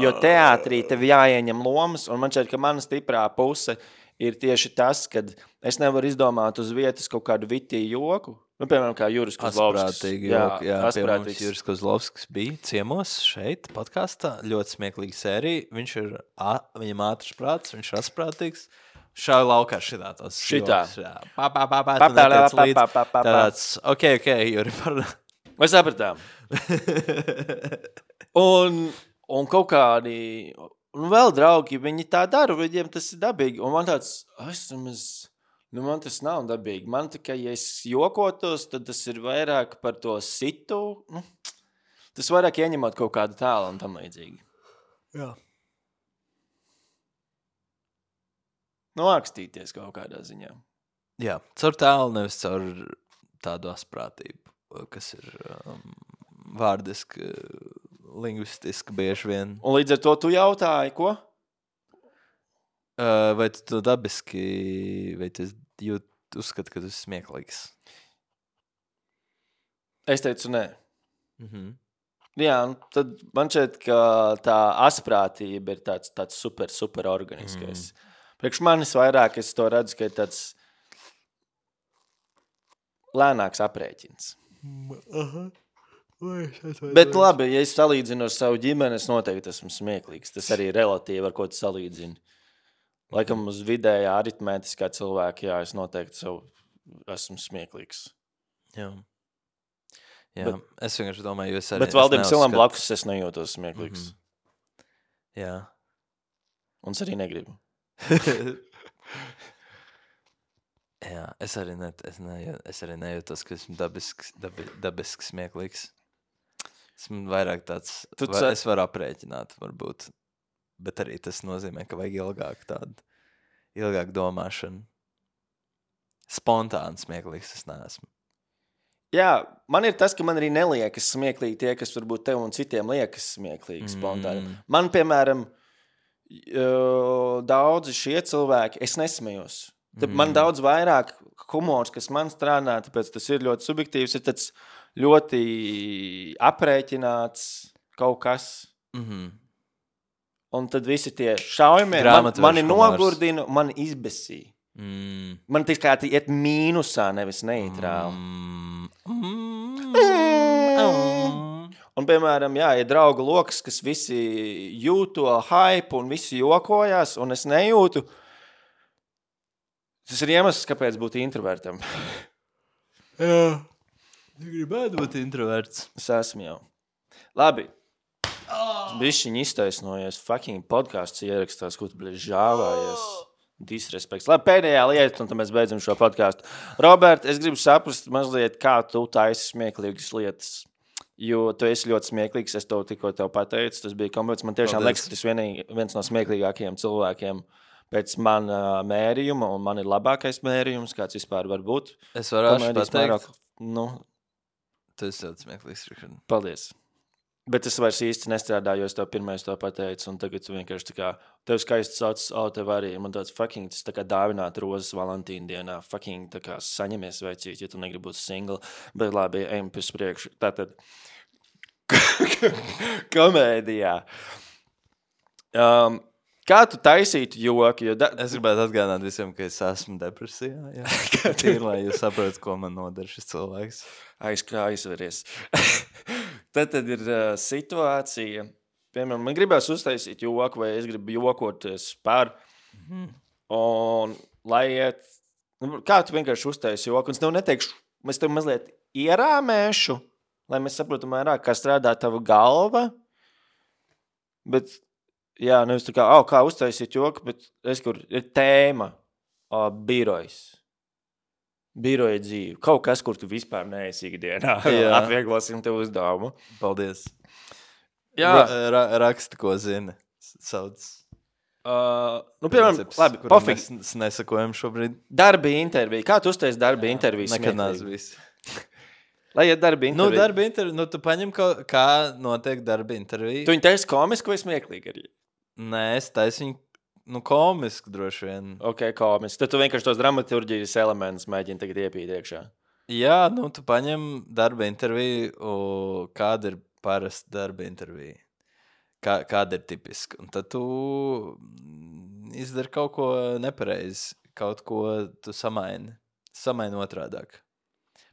Jo teātrī tev jāieņem lomas, un man šķiet, ka mana stiprā puse ir tieši tas, ka es nevaru izdomāt uz vietas kaut kādu vitīgu joku. Nu, piemēram, kā Juris Kozlovskis. Asprātīgi. Jā, jā pie mums asprātīgs. Juris Kozlovskis bija ciemos šeit, podkāstā. Ļoti smieklīga sērija. Viņš ir, a, viņam ātrs prāts, viņš ir asprātīgs. Šādi laukā šitā tos Šitā. joks, jā. Pā, pā, pā, pā, Pa, tu pa, netiec pa, līdz. pa, pa, pa, pa. Tāds, ok, ok, Juri, par... Mēs sapratām. Un, un kaut kādi, un vēl draugi, viņi tā dara, viņiem tas ir dabīgi. Un man tāds, es nemaz, nu man tas nav dabīgi. Man tikai, ja es jokotos, tad tas ir vairāk par to situ. Nu, tas vairāk ieņemot kaut kādu tēlu un tam līdzīgi. Jā. noakstīties kaut kādā ziņā. Jā, caur tēlu, nevis caur tādu asprātību, kas ir um, vārdiski, lingvistiski bieži vien. Un līdz ar to tu jautāji, ko? Uh, vai tu to dabiski, vai tu jūt, uzskati, ka tu esi smieklīgs? Es teicu, nē. Mhm. Jā, tad man šķiet, ka tā asprātība ir tāds, tāds super, super organiskais. Mm. Priekš manis vairāk es to redzu, ka ir tāds lēnāks aprēķins. Aha. Bet labi, ja es salīdzinu ar savu ģimeni, es noteikti esmu smieklīgs. Tas arī relatīvi, ar ko tu salīdzini. Laikam uz vidējā aritmētiskā cilvēka, jā, es noteikti savu esmu smieklīgs. Jā. Jā, Bet, es vienkārši domāju, jo es arī... Bet Valdim Silam blakus es nejūtos smieklīgs. Mm-hmm. Jā. Un es arī negribu. Jā, es arī, ne, es ne, es arī nejūtos, ka esmu dabisks, dabi, dabisks smieklīgs. Esmu vairāk tāds... Tu va, cer... Es varu aprēķināt, varbūt. Bet arī tas nozīmē, ka vajag ilgāk tādu, ilgāk domāšanu. Spontāni smieklīgs es neesmu. Jā, man ir tas, ka man arī neliekas smieklīgi tie, kas varbūt tev un citiem liekas smieklīgi spontāni. Mm. Man, piemēram, daudzi šie cilvēki, es nesmējos. Mm. Man daudz vairāk humors, kas man strādā, tāpēc tas ir ļoti subjektīvs, ir tāds ļoti aprēķināts kaut kas. Mhm. Un tad visi tie šaujamie man, mani nogurdina, mani izbesīja. Mm. Man tikai iet mīnusā, nevis neitrāli. Mm. Mm. Mm. Un, piemēram, jā, ir draugu lokas, kas visi jūt to hype un visi jokojās, un es nejūtu. Tas ir iemesls, kāpēc būt introvertam. Jā. Gribētu būt introverts. Es esmu jau. Labi. Es bišķiņ iztaisnojies, fucking podcasts ierakstās, ko tu bļi žāvājies. Disrespekts. Labi, pēdējā lieta, un tad mēs beidzam šo podcastu. Robert, es gribu saprast mazliet, kā tu taisi smieklīgas lietas. Jo tu esi ļoti smieklīgs, es to tikko tev pateicu, tas bija kompliments. Man tiešām liekas, ka tas vienīgi, viens no smieklīgākajiem cilvēkiem pēc mana mērījuma, un man ir labākais mērījums, kāds vispār var būt. Es varētu pateikt. Mērāk, nu, tu esi ļoti smieklīgs, Rikard. Paldies. Bet es vairs īsti nestrādāju, jo es tev pirmais to pateicu, un tagad tu vienkārši tā kā, tev skaisti sauc, o, tev arī, man tāds fucking, tas tā kā dāvināt rozes Valentīna dienā, fucking, tā kā saņemies veicīt, ja tu negribi būt single, bet labi, ejam pēc priekšu. Tātad, komēdijā. Um, kā tu taisītu joki? Jo da... Es gribētu atgādināt visiem, ka es esmu depresijā, jā. Tīri, lai jūs saprotat, ko man nodara šis cilvēks. Aiz kā aizveries. Tad, tad ir uh, situācija, piemēram, man gribēs uztaisīt joku, vai es gribu jokoties par, mm. un lai iet, kā tu vienkārši uztaisi joku, un es tev neteikšu, mēs tev mazliet ierāmēšu, lai mēs saprotam vairāk, kā strādā tava galva, bet, jā, nevis tā kā, oh, kā uztaisīt joku, bet es, kur ir tēma, oh, birojs. Biroja dzīve. Kaut kas, kur tu vispār neesi ikdienā. Atvieglosim tev uzdevumu. Paldies. Jā. Ra, ra, raksti, ko zini. Sauc. Uh, nu, piemēram, Princips, labi, pofik. Mēs nesakojam šobrīd. Darba intervija. Kā tu uztais darba interviju? Nekad nāc visi. Lai iet darba interviju. Nu, darba interviju. Nu, tu paņem, kā, kā notiek darba intervija. Tu viņu taisi komisku vai smieklīgi arī? Nē, es taisu viņu. Nu, komiski droši vien. Ok, komiski. Tad tu vienkārši tos dramaturģijas elementus mēģini tagad iepīt iekšā. Jā, nu, tu paņem darba interviju, kāda ir parasta darba intervija. Kā, kāda ir tipiska. Un tad tu izdari kaut ko nepareizi. Kaut ko tu samaini. Samaini otrādāk.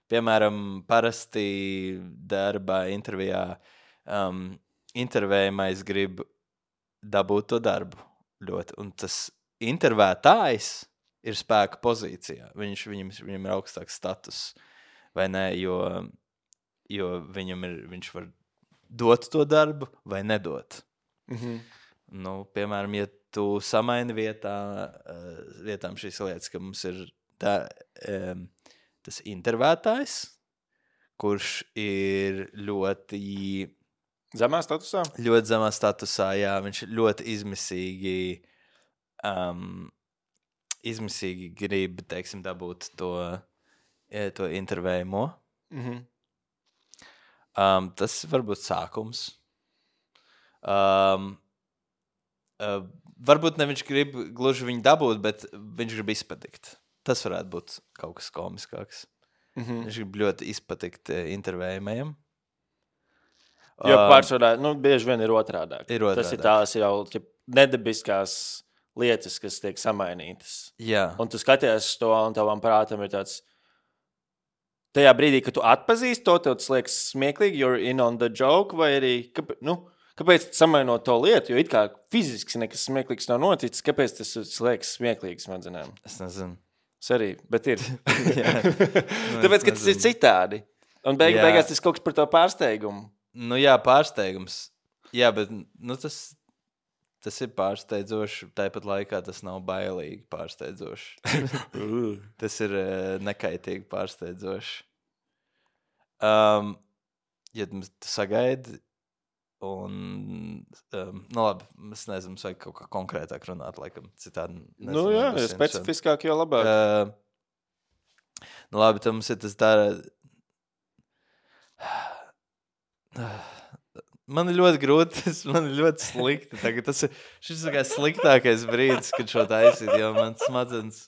Piemēram, parasti darba intervijā um, intervējamais grib dabūt to darbu. Ļoti. Un tas intervētājs ir spēka pozīcijā. Viņš, viņam, viņam ir augstāks status, vai ne, jo, jo viņam ir, viņš var dot to darbu vai nedot. Mm-hmm. Nu, piemēram, ja tu samaini vietā, vietām šīs lietas, ka mums ir tā, um, tas intervētājs, kurš ir ļoti... Zemā statusā? Ļoti zemā statusā, jā. Viņš ļoti izmisīgi um, izmisīgi grib, teiksim, dabūt to, to intervējumu. Mhm. Um, tas var būt sākums. Um, uh, varbūt ne viņš grib gluži viņu dabūt, bet viņš grib izpatikt. Tas varētu būt kaut kas komiskāks. Mhm. Viņš grib ļoti izpatikt intervējumiem. Jo pārsvarā, nu, bieži vien ir otrādāk. Ir otrādāk. Tas ir tās jau nedabiskās lietas, kas tiek samainītas. Jā. Un tu skaties to, un tavam prātam ir tāds, tajā brīdī, kad tu atpazīsti to, tev tas liekas smieklīgi, you're in on the joke, vai arī, kāpēc, nu, kāpēc samainot to lietu, jo it kā fiziski nekas smieklīgs nav noticis, kāpēc tas liekas smieklīgs, man zinām? Es nezinu. Es arī, bet ir. Jā. Nu, Tāpēc, ka tas ir citādi. Un beig, beigās tas kaut kas par to pārsteigumu. Nu jā, pārsteigums. Jā, bet nu, tas, tas ir pārsteidzoši. Tāpat laikā tas nav bailīgi pārsteidzoši. Tas ir uh, nekaitīgi pārsteidzoši. Um, ja tu sagaidi un, um, nu labi, es nezinu, mums vajag kaut kā konkrētāk runāt, laikam, citādi. Nezinu, Nu jā, jo specifiskāk, jo labāk. Uh, nu labi, tad mums ir tas dara... Man ir ļoti grūti, man ir ļoti slikti. Tagad tas ir šis ir sliktākais brīdis, kad šo taisīt, jo man smadzenes,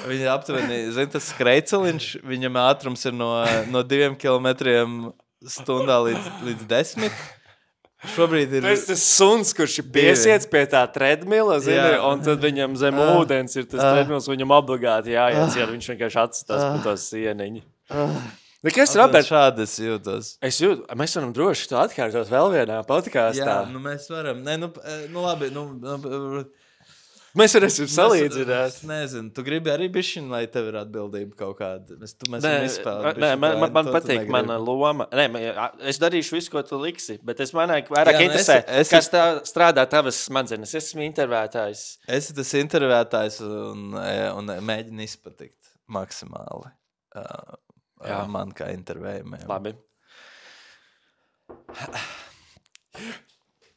viņa aptuveni, zin, tas skrejceliņš, viņam ātrums ir no, no diviem kilometriem stundā līdz, līdz desmit. Šobrīd ir... Tas ir tas suns, kurš ir piesiets pie tā treadmilla, zini, un tad viņam zem uh, ūdens ir tas uh, treadmills, viņam obligāti jāiet, ja viņš vienkārši atstās uh, pa to sieniņu. Uh, Nekas, Robert, šādi es jūtos. Es jūtu, mēs varam droši to atkārtot vēl vienā podkāstā. Jā, nu mēs varam. Nē, nu, nu labi, nu... nu mēs varēsim salīdzināt. Es nezinu, tu gribi arī bišķiņ, lai tev ir atbildība kaut kāda. Mēs, tu, mēs nē, izspēlēt, nē, man, man, man patīk mana loma. Nē, man, es darīšu visu, ko tu liksi, bet es manai vairāk jā, interesē, nu es, es, kas tā strādā tavas smadzenes. Es esmu intervētājs. Es esmu tas intervētājs un, un mēģinu izpatikt maksimāli. Uh, Jā. Man kā intervējumiem. Labi.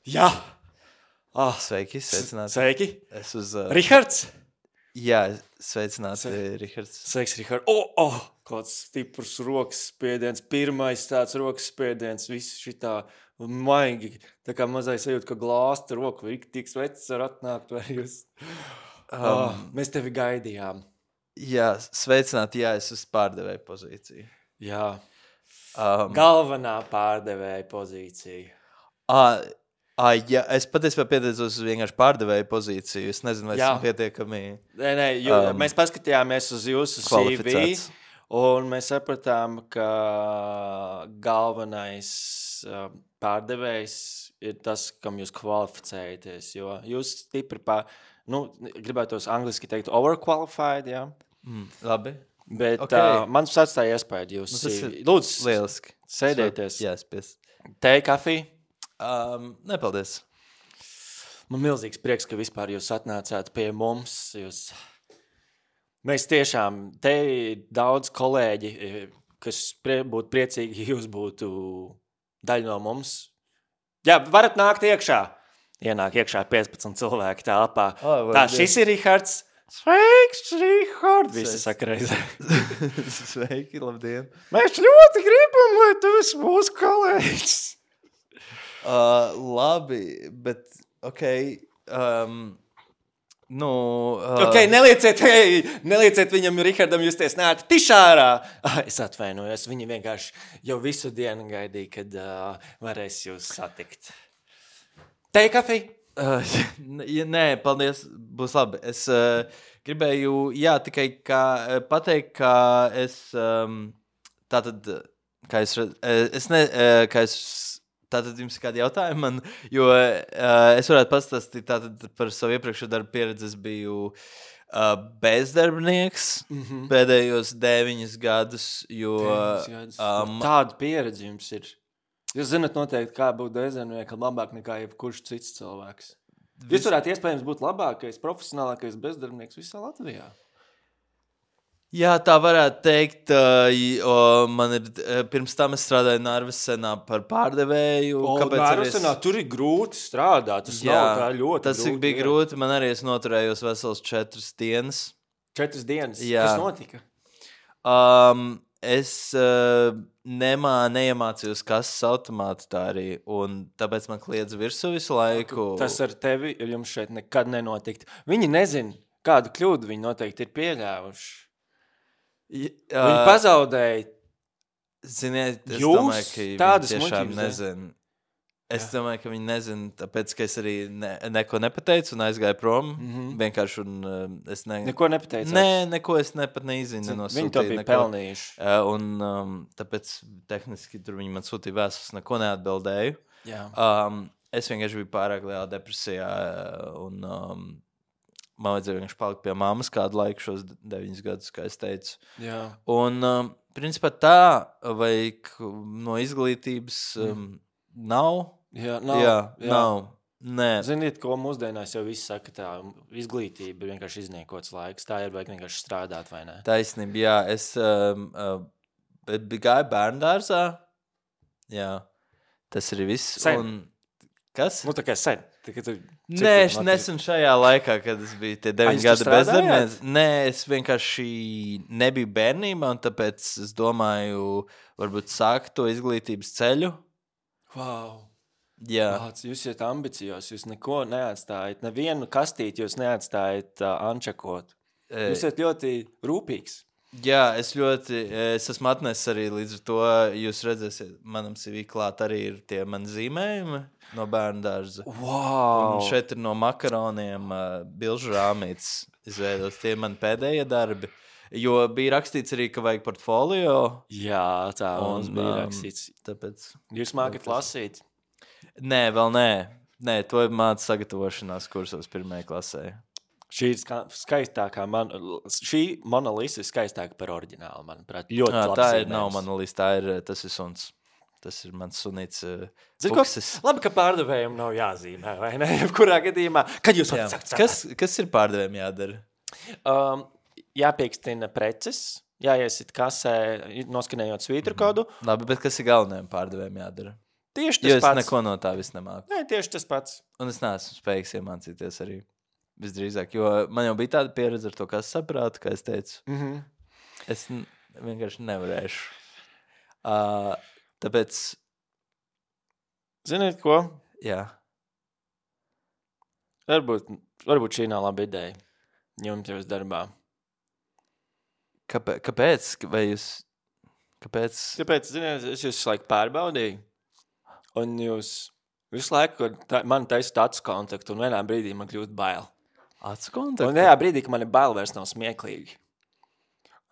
Jā. Oh, sveiki, sveicināti. Sveiki. Es uz... Uh, Rihards? Jā, sveicināti, Sve... Rihards. Sveiks, Rihards. O, oh, oh, kāds stiprs rokas spiediens. Pirmais tāds rokas spiediens. Viss šitā maigi. Tā kā mazai sajūt, ka glāsta roku. Vai tik svecis var atnākt vai jūs. Um, oh, mēs tevi gaidījām. Jā, sveicināti, jā, es uz pārdevēju pozīciju. Jā. Um, Galvenā pārdevēja pozīcija. Ā, ā, jā, es patiesībā pieteicos uz vienkārši pārdevēju pozīciju. Es nezinu, vai esmu pietiekami... Nē, nē, jū, um, mēs paskatījāmies uz jūsu C V, un mēs sapratām, ka galvenais uh, pārdevējs ir tas, kam jūs kvalificējaties, jo jūs stipri pār... Nu, gribētos angliski teikt overqualified, jā. Mm, labi. Bet okay. uh, man atstāja iespēju jūs. Nu, lūdzu, lieliski. Sēdieties. Jā, spies. Teja, kafija? Um, nepaldies. Man milzīgs prieks, ka vispār jūs atnācāt pie mums. Jūs... Mēs tiešām, te ir daudz kolēģi, kas prie, būtu priecīgi, ja jūs būtu daļa no mums. Jā, varat nākt iekšā. Ienāk iekšā piecpadsmit cilvēki telpā. Oh, tā, šis ir Rihards. Sveiks, Rihards! Visi saka reizē. Sveiki, labdien. Mēs ļoti gribam, lai tu esi mūsu kolēģis. Uh, labi, bet, ok, um, nu... Uh... Ok, nelieciet, hei, nelieciet viņam, Rihardam, justies nēti tišārā. Ah, es atvainojos, viņi vienkārši jau visu dienu gaidīja, kad uh, varēs jūs satikt. Teja, kafija? Uh, ja, nē, paldies, būs labi. Es uh, gribēju, jā, tikai kā, pateikt, ka es, um, tātad, kā es, es ne, kā es, tātad jums ir kādi jautājumi man, jo uh, es varētu pastāstīt tātad par savu iepriekšējo darbu pieredzi. Es biju uh, bezdarbnieks mm-hmm. pēdējos deviņus gadus, jo... Gadus. Um, Tāda pieredze jums ir. Jūs zināt noteikti, kā būt bezdarbniekam labāk nekā jebkurš cits cilvēks. Jūs varētu iespējams būt labākais, profesionālākais bezdarbnieks visā Latvijā. Jā, tā varētu teikt. O, man ir, pirms tam es strādāju Narvesenā par pārdevēju. O, Narvesenā es... tur ir grūti strādāt. Tas jā, nav tā ļoti tas grūti. Tas bija jā. grūti. Man arī es noturējos vesels četras dienas. Četras dienas. Jā. Kas notika? Um, es uh, nemā, neiemācījos kases automātu tā arī, un tāpēc man kliedz virsū visu laiku. Tas ar tevi jums šeit nekad nenotikt. Viņi nezin, kādu kļūdu viņi noteikti ir pieļāvuši. Ja, Viņi pazaudēja. Ziniet, es Jūs domāju, ka tādas viņi tiešām muļķības, nezin. Es Jā. domāju, ka viņi nezin, tāpēc, ka es arī ne, neko nepateicu un aizgāju prom. Mhm. Vienkārši un uh, es ne... Neko nepateicāt. Nē, neko es nepat neizinu. Viņi to bija neko. pelnījuši. Uh, un um, tāpēc tehniski tur viņi man sūtīja vēstus, neko neatbildēju. Jā. Um, es vienkārši biju pārāk lielā depresijā un um, man vajadzēja vienkārši palikt pie mammas kādu laiku šos deviņus gadus, kā es teicu. Jā. Un um, principā tā, vajag no izglītības um, nav. Jā, nav. Jā, Jā. nav. Nē. Ziniet, ko mūsdienās jau viss saka, tā izglītība ir vienkārši izniekots laiks. Tā ir vajag vienkārši strādāt, vai ne? Taisnība, jā. Es um, uh, gāju bērndārzā. Jā. Tas arī viss. Sen. Un... Kas? Nu, tā kā sen. Tā, tu, Nē, es nesen šajā laikā, kad es biju tie deviņi jūs tur gadi bezdarbnieks. strādājāt? Nē, es vienkārši nebiju bērnībā, un tāpēc es domāju, varbūt sākt to izglītības ceļu. Wow. Jā. Vāc, jūs esat ambicios, jūs neko neatstājat, nevienu kastīti jūs neatstājat uh, ančakot. E, Jūs esat ļoti rūpīgs. Jā, es ļoti, es esmu atnesis arī līdz ar to, jūs redzēsiet, manam C V klāt arī ir tie mani zīmējumi no bērnu dārza. Wow. Un šeit ir no makaroniem uh, bilžu rāmītes izveidos, tie ir mani pēdējie darbi. Jo bija rakstīts arī, ka vajag portfolio. Jā, tā Un, mums bija um, rakstīts. Tāpēc... Jūs mākat lasīt. Nē, vēl nē. Nē, to māca sagatavošanās kursos pirmajai klasē. Šī ir ska- skaistākā, man, šī Mona Lisa ir skaistāka par oriģinālu, manuprāt. Ļoti Jā, labs tā ir, zīmējums. nav mana lista, tā ir, tas ir suns. Tas ir mans sunīts uh, Zini ko? fuksis. Labi, ka pārdevējiem nav jāzīmē, vai ne? Jebkurā gadījumā. Kad jūs Jā. varat sakt? Kas, kas ir pārdevējiem jādara? Um, jāpiekstina preces, jāiesit kasē, noskanējot svītru kodu. Labi, bet kas ir galvenajiem pārdevējiem jādara? Tieši Jo tas es pats. neko no tā vis nemāku. Nē, tieši tas pats. Un es neesmu spējīgs iemācīties arī visdrīzāk, jo man jau bija tāda pieredze ar to, kas saprātu, kā es teicu. Mhm. Es n- vienkārši nevarēšu. Uh, tāpēc, Ziniet ko? jā. Varbūt, varbūt šī nav laba ideja. Jums jūs darbā. Kāpēc? kāpēc? Vai jūs... Kāpēc? Tāpēc, ziniet, es jūs visu laiku pārbaudīju. Un jūs visu laiku tā, man taisat acu kontaktu, un vienā brīdī man kļūst bail. Acu Un kontaktu? tajā brīdī, kad man ir bail, vairs nav smieklīgi.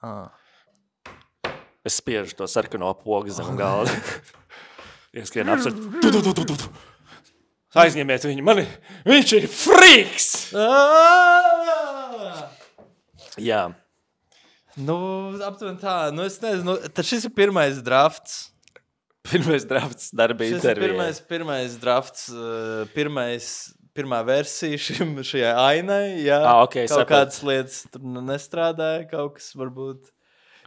Ah. Es spiežu to sarkano pogu zem galda. Ieskrien apsver. Tu, tu, tu, tu, tu, tu. Aizņemiet viņu. Mani, viņš ir friks! Ah! Jā. Nu, aptuveni tā. Nu, es nezinu. Nu, tad šis ir pirmais drafts. Pirmais drafts darba Šis ir intervijā. pirmais, pirmais drafts, uh, pirmais, pirmā versija šim, šajai ainai. Jā, Ah, ok, kaut sapratu. kādas lietas tur nu nestrādāja, kaut kas varbūt.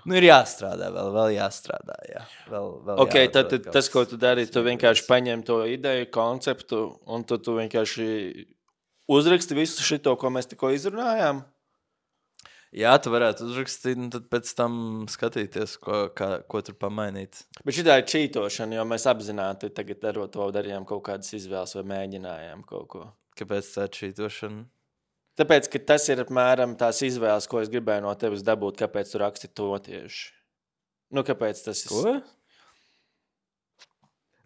Nu, ir jāstrādā vēl, vēl jāstrādā, jā. Vēl, vēl Ok, tad, jāatrod tad kaut tas, kas. ko tu dari, tu vienkārši paņem to ideju, konceptu, un tu, tu vienkārši uzraksti visu šito, ko mēs tikko izrunājām. Jā, tu varētu uzrakstīt, un tad pēc tam skatīties, ko, kā, ko tur pamainīt. Bet šitā ir čītošana, jo mēs apzināti tagad darot to darījām kaut kādas izvēles vai mēģinājām kaut ko. Kāpēc tā čītošana? Tāpēc, ka tas ir apmēram tās izvēles, ko es gribēju no tevis dabūt, kāpēc tu raksti to tieši. Nu, kāpēc tas ir? Ko?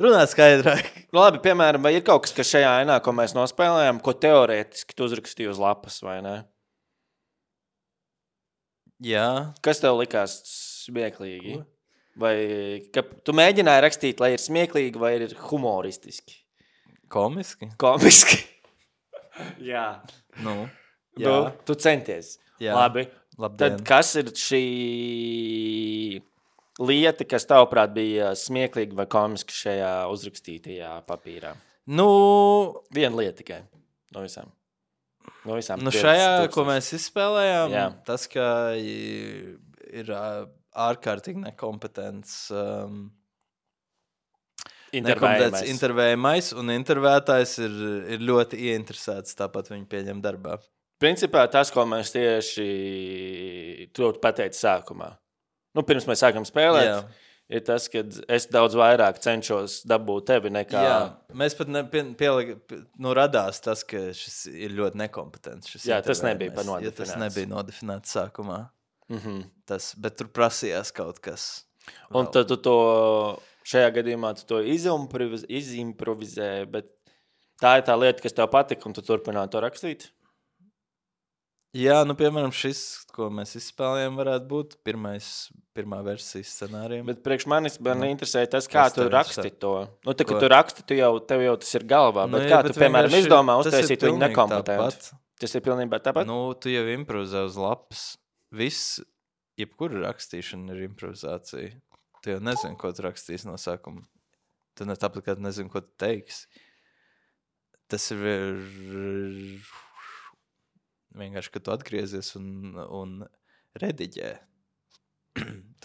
Runā skaidrāk. Nu, labi, piemēram, vai ir kaut kas, kas šajā ainā, ko mēs nospēlējām, ko teorētiski tu uzrakstīji uz lapas, vai ne? Jā. Kas tev likās smieklīgi? Vai ka tu mēģināji rakstīt, lai ir smieklīgi vai ir humoristiski? Komiski? Komiski. Jā. Nu, jā. jā. Nu, tu centies. Jā. Labi. Labdien. Tad kas ir šī lieta, kas tavuprāt bija smieklīga vai komiska šajā uzrakstītajā papīrā? Nu, Viena lieta tikai no visām. No visām nu piecas šajā, tūkstoši. ko mēs izspēlējām, Jā. tas, ka i- ir ā, ārkārtīgi nekompetents, um, nekompetents Intervējamais. intervējamais, un intervētājs ir, ir ļoti ieinteresēts, tāpat viņu pieņem darbā. principā tas, ko mēs tieši tur pateicu sākumā. Nu, pirms mēs sākam spēlēt, Jā. ir tas, ka es daudz vairāk cenšos dabūt tevi nekā... Jā, mēs pat ne, pie, pielika, nu, radās tas, ka šis ir ļoti nekompetents. Šis Jā, tas nebija par nodefinēts. Ja tas nebija nodefinēts sākumā. Mm-hmm. Tas, bet tur prasījās kaut kas. Un vēl. Tad tu to, šajā gadījumā tu to izimproviz, izimprovizēji, bet tā ir tā lieta, kas tev patika, un tu turpināji to rakstīt? Jā, nu, piemēram, šis, ko mēs izspēlējām, varētu būt pirmais, pirmā versija scenārijam. Bet priekš manis man interesē tas, kā tu raksti to. Nu, tā, ka tu raksti, tu jau, tev jau tas ir galvā, bet nu, kā bet tu, piemēram, izdomā uztaisīt viņu nekompetentu? Tas ir pilnībā tāpat? Nu, tu jau improvizē uz lapas. Viss, jebkura rakstīšana ir improvizācija. Tu jau nezini, ko tu rakstīs no sākuma. Tu ne tāpat, kā tu nezini, ko tu teiksi. Tas ir... Vienkārši, kad tu atgriezies un, un rediģē,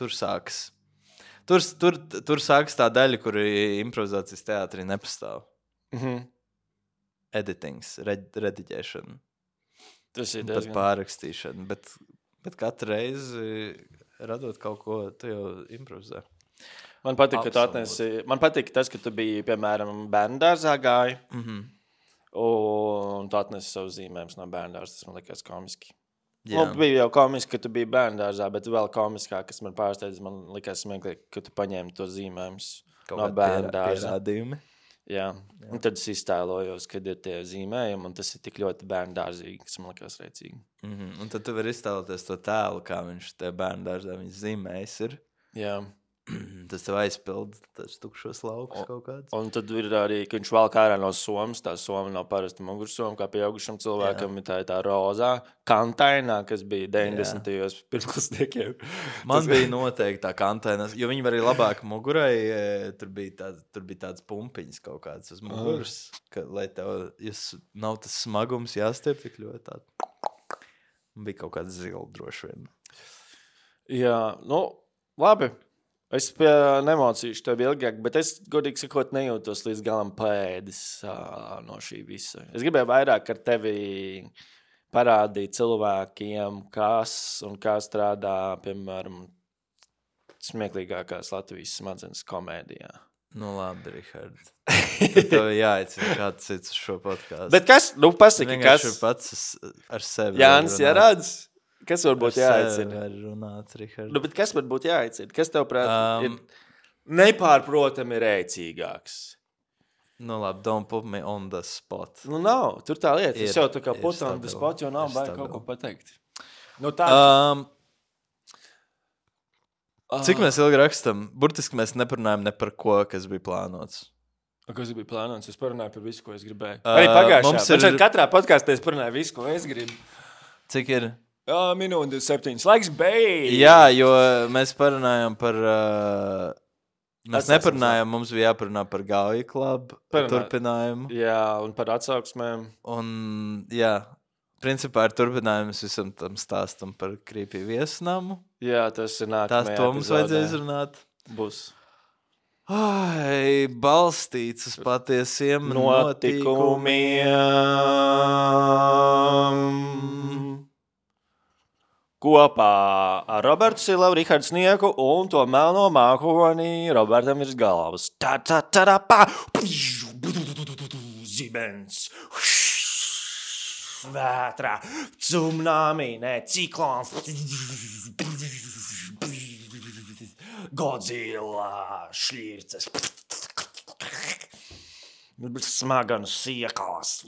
tur sāks. Tur, tur, tur sāks tā daļa, kur improvizācijas teātrī nepastāv. Mm-hmm. Editings, red, rediģēšana. Tas ir diezgan. Pat pārrakstīšana. Bet, bet katru reizi, radot kaut ko, tu jau improvizē. Man patīk, ka tu atnesi, man patīk tas, ka tu biji, piemēram, bērnu dārzā gāji. Mhm. Un tu atnesi savu zīmējumus no bērndārs, tas man likās komiski. Nu, bija jau komiski, ka tu biji bērndārzā, bet vēl komiskāk, kas man pārsteidz, man likās smieklīgi, ka tu paņēmi to zīmējumus no bērndārza. Pierādījumi. Jā. Jā, un tad es iztēlojos, kad ir tie zīmējumi, un tas ir tik ļoti bērndārzīgi, kas man likās reicīgi. Mm-hmm. Un tad tu vari iztēloties to tēlu, kā viņš te bērndārzā viņš zīmējis ir. Jā. Tas tev aizpild tas tukšos laukus kaut kāds. Un tad ir arī, ka viņš valk ārā no somas, tā soma nav parasta mugursoma, kā pieaugušam cilvēkam, jā. Tā ir tā rozā, kantainā, kas bija deviņdesmitajos pirmklasniekiem. Man tas... bija noteikti tā kantainā, jo viņi var arī labāk mugurai, tur bija, tā, tur bija tāds pumpiņas kaut kāds uz muguras, ka, lai tev, ja nav tas smagums jāstiep tik ļoti tādu. Man bija kaut kāds zila droši vien. Jā, nu, labi. Es pie nemocīšu tev ilgāk, bet es, godīgi sakot, nejūtos līdz galam paēdis uh, no šī visa. Es gribēju vairāk ar tevi parādīt cilvēkiem, kas un kā strādā, piemēram, smieklīgākās Latvijas smadzenes komēdijā. Nu labi, Rihard. Tad tev jāicina kāds cits uz šo podcastu. Bet kas? Nu pasaki, kas? Vienkārši pats ar sevi. Jānis Jarāds? Kas varbūt jāaicina? Runāt, Rihard. Nu, bet kas varbūt jāaicina? Kas tev prāt um, ir nepārprotami rēcīgāks? Nu labi, don't put me on the spot. Nu nav, tur tā lieta. Es jau tā kā put on the spot, jo nav baigi kaut ko pateikt. Nu tā. Um, cik mēs ilgi rakstam? Burtiski mēs neparunājam ne par ko, kas bija plānots. Kas bija plānots? Es parunāju par visu, ko es gribēju. Uh, Arī pagājušā. Mums ir... Katrā podkāstā es parunāju visu, ko es gribu. Cik ir? Jā, minūte septiņas. Laiks beidz! Jā, jo mēs parunājam par... Uh, mēs Atsauksmēm. Neparunājam, mums bija jāparunā par Gauja klubu, par turpinājumu. Jā, un par atsauksmēm. Un, jā, principā ar turpinājums visam tam stāstam par Creepy viesnamu. Jā, tas ir nākamajā Tās to mums vajadzēja izrunāt. Būs. Ai, balstīts uz patiesiem notikumiem. Kopā ar Robertu Silavu, Rihardu Snieku un to melno mākoni Robertam virs galvas. Tā, tā, tā, tā, pā! Zibens. Vētrā. Tsunami, ne, ciklons. Godzilla, šļirces. Smaganu siekās,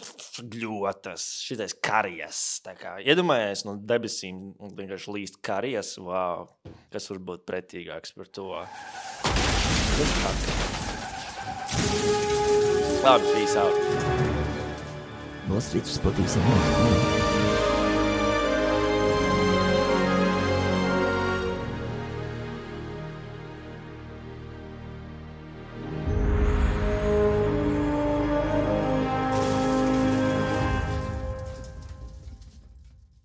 gļotas, šitais karijas. Tā kā iedomājies no debesīm vienkārši līst karijas. Wow, kas var būt pretīgāks par to? Labi, peace out. Nostrīdus patīsim.